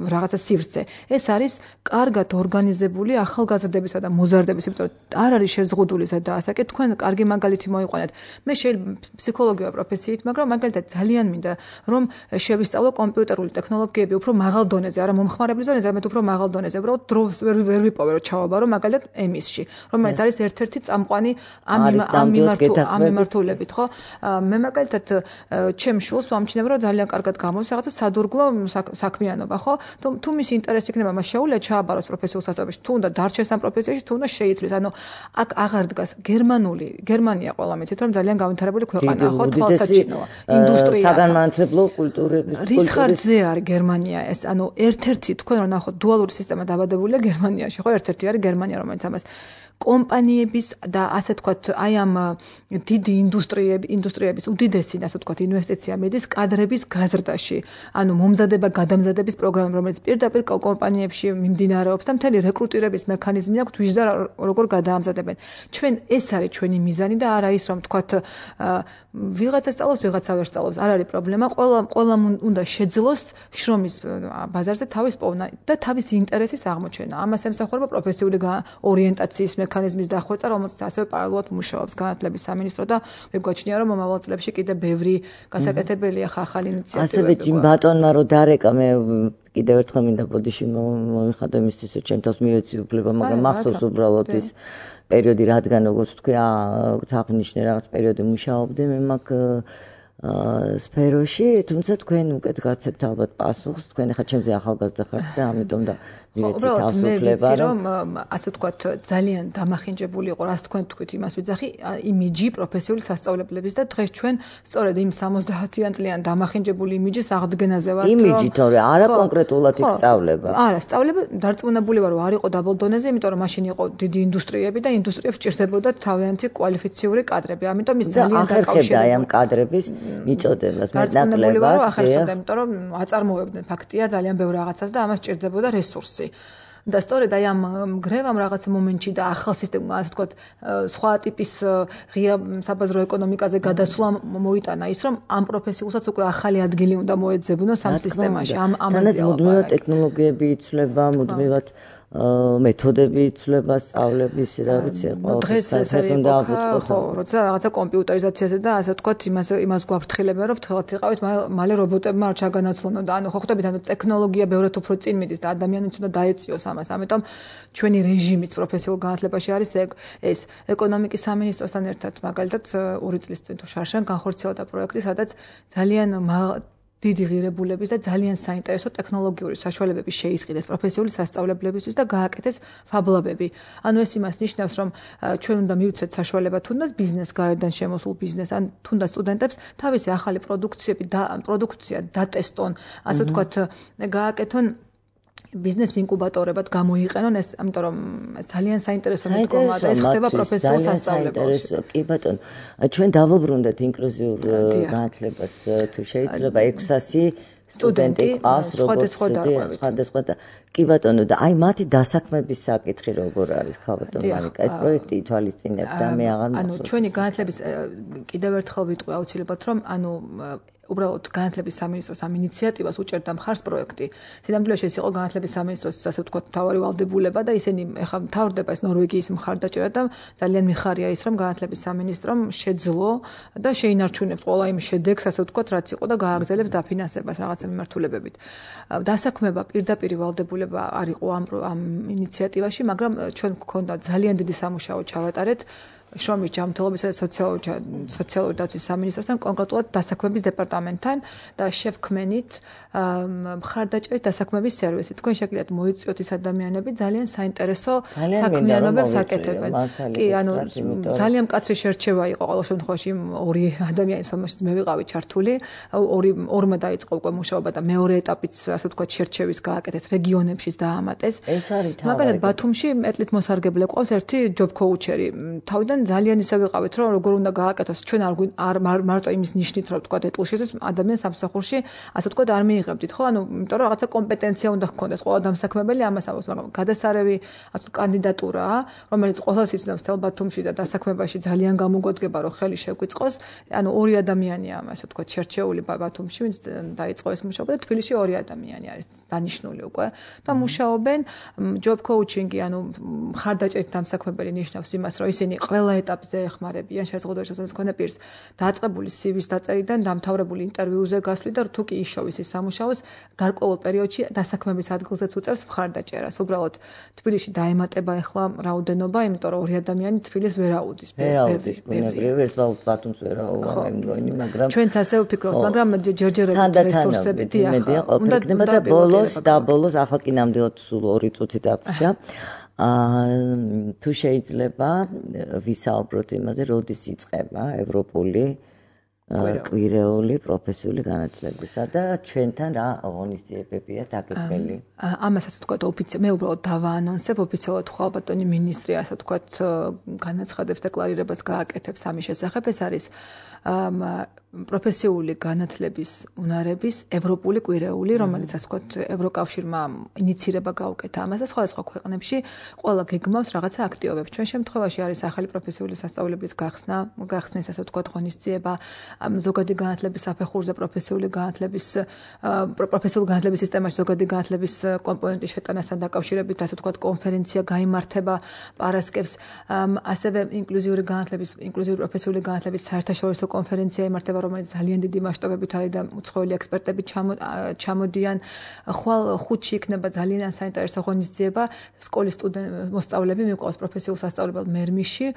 რაღაცა სივრცე. ეს არის კარგად ორგანიზებული ახალგაზრდებისა და მოზარდების, იმიტომ არ არის შეზღუდული ზედაასაკი, თქვენ კარგი მაგალითი მოიყვანეთ. მე შეიძლება ფსიქოლოგია პროფესიით, მაგრამ მაგალითად ძალიან მინდა რომ შევისწავლო კომპიუტერული ტექნოლოგიები უფრო მაღალ დონეზე, არა მომხმარებლის დონეზე, არამედ უფრო მაღალ დონეზე. უბრალოდ დროს ვერ ვერ ვიპოვე რომ ჩავაბარო მაგალითად ემისში, რომელიც არის ერთ-ერთი წამყვანი ამ ამ მიმართულებით, ხო? მე მაგალითად ჩემ შულს ვამჩნევ რომ ძალიან კარგად გამოდის რაღაცა სადურგლო საქმიანობა, ხო? თუ მის ინტერესი იქნება, მას შეუძლია ჩააბაროს პროფესიულ სასწავლებელში, თუ უნდა დარჩეს ამ პროფესიაში, თუ უნდა შეიცვლის. ანუ აქ აღარ დგას გერმანული, გერმანია ყველა მეცით რომ ძალიან განვითარებული ქვეყანაა, ხო, თვალსაჩინოა, ინდუსტრია. საგანმანათლებლო კულტურების რის ხარჯზე არის გერმანია ეს? ანუ ერთ-ერთი თქვენ რომ ნახოთ დუალური სისტემა დაბადებულია გერმანიაში, ხო, ერთ-ერთი არის გერმანია, რომელიც ამას კომპანიების და ასე ვთქვათ, აი ამ დიდი ინდუსტრიები, ინდუსტრიების უდიდესი, ასე ვთქვათ, ინვესტიცია მიდის კადრების გაზრდაში. ანუ მომზადება, გადამზადების პროგრამები, რომელიც პირდაპირ კომპანიებში მიმდინარეობს და მთელი რეკრუტირების მექანიზმი აქვს, თვითონ და როგორ გადაამზადებენ. ჩვენ ეს არის ჩვენი მიზანი და არა ის, რომ ვთქვათ, ვიღაცა სწავლობს, ვიღაცა ვერ სწავლობს, არ არის პრობლემა. ყველა ყველა უნდა შეძლოს შრომის ბაზარზე თავის პოვნა და თავის ინტერესის აღმოჩენა. ამას ემსახურება პროფესიული ორიენტაციის მექანიზმის დახვეწა, რომელსაც ასევე პარალელურად მუშაობს განათლების სამინისტრო და მეგოჩნია რომ მომავალ წლებში კიდე ბევრი გასაკეთებელია ახალი ინიციატივები. ასევე ჯიმ ბატონმა რო დარეკა, მე კიდევ ერთხელ მინდა ბოდიში მომიხადო იმისთვის, რომ ჩემ თავს მივეცი უფლება, მაგრამ მახსოვს უბრალოდ ის პერიოდი, რადგან როგორც თქვი, აღნიშნე რაღაც პერიოდი მუშაობდი მე მაგ სფეროში, თუმცა თქვენ უკეთ გაცებთ ალბათ პასუხს, თქვენ ახლა ჩემზე ახალგაზრდა ხართ და ამიტომ და მივეცი თავს უფლება, რომ ასე ვთქვათ, ძალიან დამახინჯებული იყო, რას თქვენ თქვით, იმას ვიძახი, იმიჯი პროფესიული სასწავლებლების და დღეს ჩვენ სწორედ იმ სამოცდაათიან წლიან დამახინჯებული იმიჯის აღდგენაზე ვართ, რომ იმიჯი თორე არა კონკრეტულად იქ სწავლება. არა, სწავლება დარწმუნებული ვარ, რომ არ იყო დაბალ დონეზე, იმიტომ რომ მაშინ იყო დიდი ინდუსტრიები და ინდუსტრიებს ჭირდებოდა თავიანთი კვალიფიციური კადრები. ამიტომ ის ძალიან დაკავშირდა აი ამ კადრების მიწოდებას, მეტნაკლებად, იმიტომ რომ აწარმოებდნენ ფაქტია ძალიან ბევრ რაღაცას და ამას ჭირდებოდა რესურსი. და სწორედ აი ამ გრევამ რაღაც მომენტში და ახალ სისტემა, ასე ვთქვათ, სხვა ტიპის ღია საბაზრო ეკონომიკაზე გადასვლა მოიტანა ის, რომ ამ პროფესიულსაც უკვე ახალი ადგილი უნდა მოეძებნოს ამ სისტემაში. ამ ამაზე მუდმივად ტექნოლოგიები იცვლება, მუდმივად მეთოდები იცვლება სწავლების, რა ვიცი, დღეს ეს არის ხო, როცა რაღაცა კომპიუტერიზაციაზე და ასე ვთქვათ, იმას იმას გვაფრთხილებენ, რომ ფრთხილად იყავით, მალე რობოტებმა არ ჩაგანაცვლონ და ანუ ხო ხვდებით, ანუ ტექნოლოგია ბევრად უფრო წინ მიდის და ადამიანიც უნდა დაეციოს ამას. ამიტომ ჩვენი რეჟიმიც პროფესიულ განათლებაში არის ეს ეკონომიკის სამინისტროსთან ერთად, მაგალითად, ორი წლის წინ თუ შარშან განხორციელდა პროექტი, სადაც ძალიან დიდი ღირებულების და ძალიან საინტერესო ტექნოლოგიური საშუალებების შეისყიდეს პროფესიული სასწავლებლებისთვის და გააკეთეს ფაბლაბები. ანუ ეს იმას ნიშნავს, რომ ჩვენ უნდა მივცეთ საშუალება თუნდაც ბიზნეს გარედან შემოსულ ბიზნეს, ან თუნდაც სტუდენტებს თავისი ახალი პროდუქციები და პროდუქცია დატესტონ, ასე ვთქვათ, გააკეთონ ბიზნეს ინკუბატორებად გამოიყენონ ეს, ამიტომ რომ ძალიან საინტერესო მდგომა და ეს ხდება პროფესიულ სასწავლებელში. კი ბატონო, ჩვენ დავუბრუნდეთ ინკლუზიურ განათლებას, თუ შეიძლება ექვსასი სტუდენტი ყავს, როგორც სხვადასხვა და კი ბატონო და აი მათი დასაქმების საკითხი როგორ არის, ხალბატონ მარიკა, ეს პროექტი ითვალისწინებდა, მე აღარ ანუ მახსოვს. ჩვენი განათლების კიდევ ერთხელ ვიტყვი აუცილებლად, რომ ანუ უბრალოდ განათლების სამინისტროს ამ ინიციატივას უჭერდა მხარს პროექტი. სინამდვილეში ეს იყო განათლების სამინისტროს, ასე ვთქვათ, მთავარი ვალდებულება და ისინი ეხლა მთავრდება ეს ნორვეგიის მხარდაჭერა და ძალიან მიხარია ის, რომ განათლების სამინისტრომ შეძლო და შეინარჩუნებს ყველა იმ შედეგს, ასე ვთქვათ, რაც იყო და გააგრძელებს დაფინანსებას რაღაცა მიმართულებებით. დასაქმება პირდაპირ ვალდებულება არ იყო ამ ამ ინიციატივაში, მაგრამ ჩვენ გვქონდა ძალიან დიდი სამუშაო ჩავატარეთ შრომის ჯანმრთელობისა და სოციალური დაცვის სამინისტროსთან, კონკრეტულად დასაქმების დეპარტამენტთან და შევქმნით მხარდაჭერის დასაქმების სერვისი. თქვენ შეგიძლიათ მოიწვიოთ ის ადამიანები, ძალიან საინტერესო საქმიანობებს აკეთებენ. კი, ანუ ძალიან მკაცრი შერჩევა იყო ყოველ შემთხვევაში ორი ადამიანის, რომელშიც მე ვიყავი ჩართული. ორი ორმა დაიწყო უკვე მუშაობა და მეორე ეტაპიც, ასე ვთქვათ, შერჩევის გააკეთეს რეგიონებშიც დაამატეს. ეს არის თავი. მაგალითად, ბათუმში მეტლით მოსარგებლე ყავს ერთი ჯობ კოუჩერი. თავიდან ძალიან ისე ვიყავით, რომ როგორ უნდა გააკეთოს. ჩვენ არ მარტო იმის ნიშნით, რომ თქვა ეტლშიც ადამიანს სამსახურში, ასე თქვა არ მიიღებდით, ხო? ანუ იმიტომ რომ რაღაცა კომპეტენცია უნდა ჰქონდეს ყველა დამსაქმებელი ამას ამბობს, მაგრამ გადასარევი ასე კანდიდატურაა, რომელიც ყველას იცნობს თელ ბათუმში და დასაქმებაში ძალიან გამოგვადგება, რომ ხელი შეგვიწყოს. ანუ ორი ადამიანია, ასე თქვა, შერჩეული ბათუმში, ვინც დაიწყო ეს მუშაობა და თბილისში ორი ადამიანი არის დანიშნული უკვე და მუშაობენ ჯობ კოუჩინგი, ანუ მხარდაჭერით დამსაქმებელი ნიშნავს იმას, რომ ისინი ყველა ეტაპზე ეხმარებიან შეზღუდვაში შესაძლოა მქონე პირს დაწყებული სივის დაწერიდან დამთავრებული ინტერვიუზე გასვლით და თუ კი იშოვის ის სამუშაოს გარკვეულ პერიოდში დასაქმების ადგილზეც უწევს მხარდაჭერას. უბრალოდ თბილისში დაემატება ახლა რაოდენობა, იმიტომ რომ ორი ადამიანი თბილისს ვერ აუდის. ვერ აუდის, ბუნებრივი ეს ბათუმს ვერ აუვა, მე მგონი, მაგრამ ჩვენც ასე ვფიქრობთ, მაგრამ ჯერჯერობით რესურსები იმედია ყოფილი იქნება და ბოლოს და ბოლოს ახლა კი ნამდვილად სულ ორი წუთი დაგვჭირდა. აა თუ შეიძლება ვისაუბროთ იმაზე, როდის იწყება ევროპული კვირეული პროფესიული განათლებისა და ჩვენთან რა ღონისძიებებია დაგეგმილი. ამას ასე ვთქვათ, ოფიციალურად მე უბრალოდ დავაანონსებ ოფიციალურად ხვალბატონი მინისტრი, ასე ვთქვათ, განაცხადებს დეკლარირებას გააკეთებს ამის შესახებ. ეს არის პროფესიული განათლების უნარების ევროპული კვირეული, რომელიც ასე ვთქვათ, ევროკავშირმა ინიცირება გაუკეთა ამას და სხვადასხვა ქვეყნებში ყველა გეგმავს რაღაცა აქტივობებს. ჩვენ შემთხვევაში არის ახალი პროფესიული სასწავლებლის გახსნა, გახსნის ასე ვთქვათ, ღონისძიება, ზოგადი განათლების საფეხურზე პროფესიული განათლების პროფესიული განათლების სისტემაში ზოგადი განათლების კომპონენტის შეტანასთან დაკავშირებით, ასე ვთქვათ, კონფერენცია გაიმართება პარასკევს, ასევე ინკლუზიური განათლების, ინკლუზიური პროფესიული განათლების საერთაშორისო კონფერენცია იმართება, რომელიც ძალიან დიდი მასშტაბებით არის და უცხოელი ექსპერტები ჩამოდიან. ხვალ ხუთში იქნება ძალიან საინტერესო ღონისძიება, სკოლის სტუდენტ მოსწავლეები მიყვავს პროფესიულ სასწავლებელ მერმიში,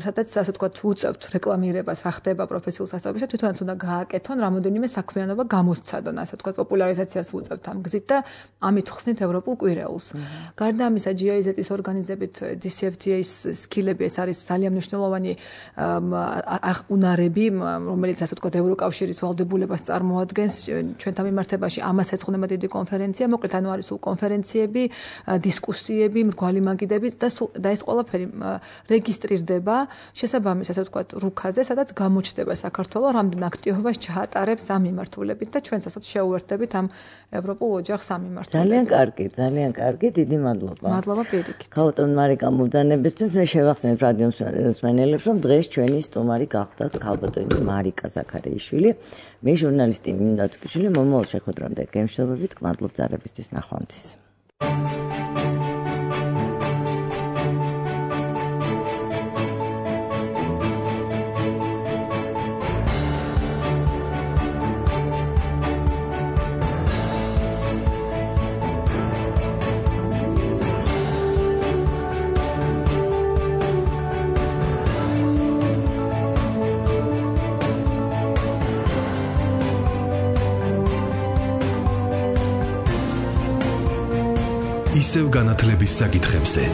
სადაც ასე ვთქვათ, უწევთ რეკლამირებას, რა ხდება პროფესიულ სასწავლებელში, თვითონაც უნდა გააკეთონ რამოდენიმე საქმიანობა გამოსცადონ, ასე ვთქვათ, პოპულარიზაციას უწევთ ამ გზით და ამით ხსნით ევროპულ კვირეულს. გარდა ამისა, ჯი აი ზეტის ორგანიზებით დი სი ეფ თი ეის სკილები, ეს არის ძალიან მნიშვნელოვანი უნარები, რომელიც ასე ვთქვათ, ევროკავშირის ვალდებულებას წარმოადგენს ჩვენთან მიმართებაში. ამას ეძღვნება დიდი კონფერენცია, მოკლედ ანუ არის სულ კონფერენციები, დისკუსიები, მრგვალი მაგიდები და და ეს ყველაფერი რეგისტრირდება შესაბამის, ასე ვთქვათ, რუქაზე, სადაც გამოჩნდება საქართველოს რამდენ აქტივობას ჩაატარებს ამ მიმართულებით და ჩვენც ასეთ შეუერთდებით ამ ევროპულ ოჯახს ამ მიმართულებით. ძალიან კარგი, ძალიან კარგი, დიდი მადლობა. მადლობა პირიქით. ხალბატონ მარიკა მუბრძანებისთვის მე შევახსენებ რადიო მსმენელებს, რომ დღეს ჩვენი სტუმარი გახდათ ხალბატონი მარიკა ზაქარიაშვილი, მე ჟურნალისტი მინდა თქიშვილი, მომავალ შეხვედრამდე გემშვიდობებით, გმადლობ ზარებისთვის, ნახვამდის. ისევ განათლების საკითხებზე.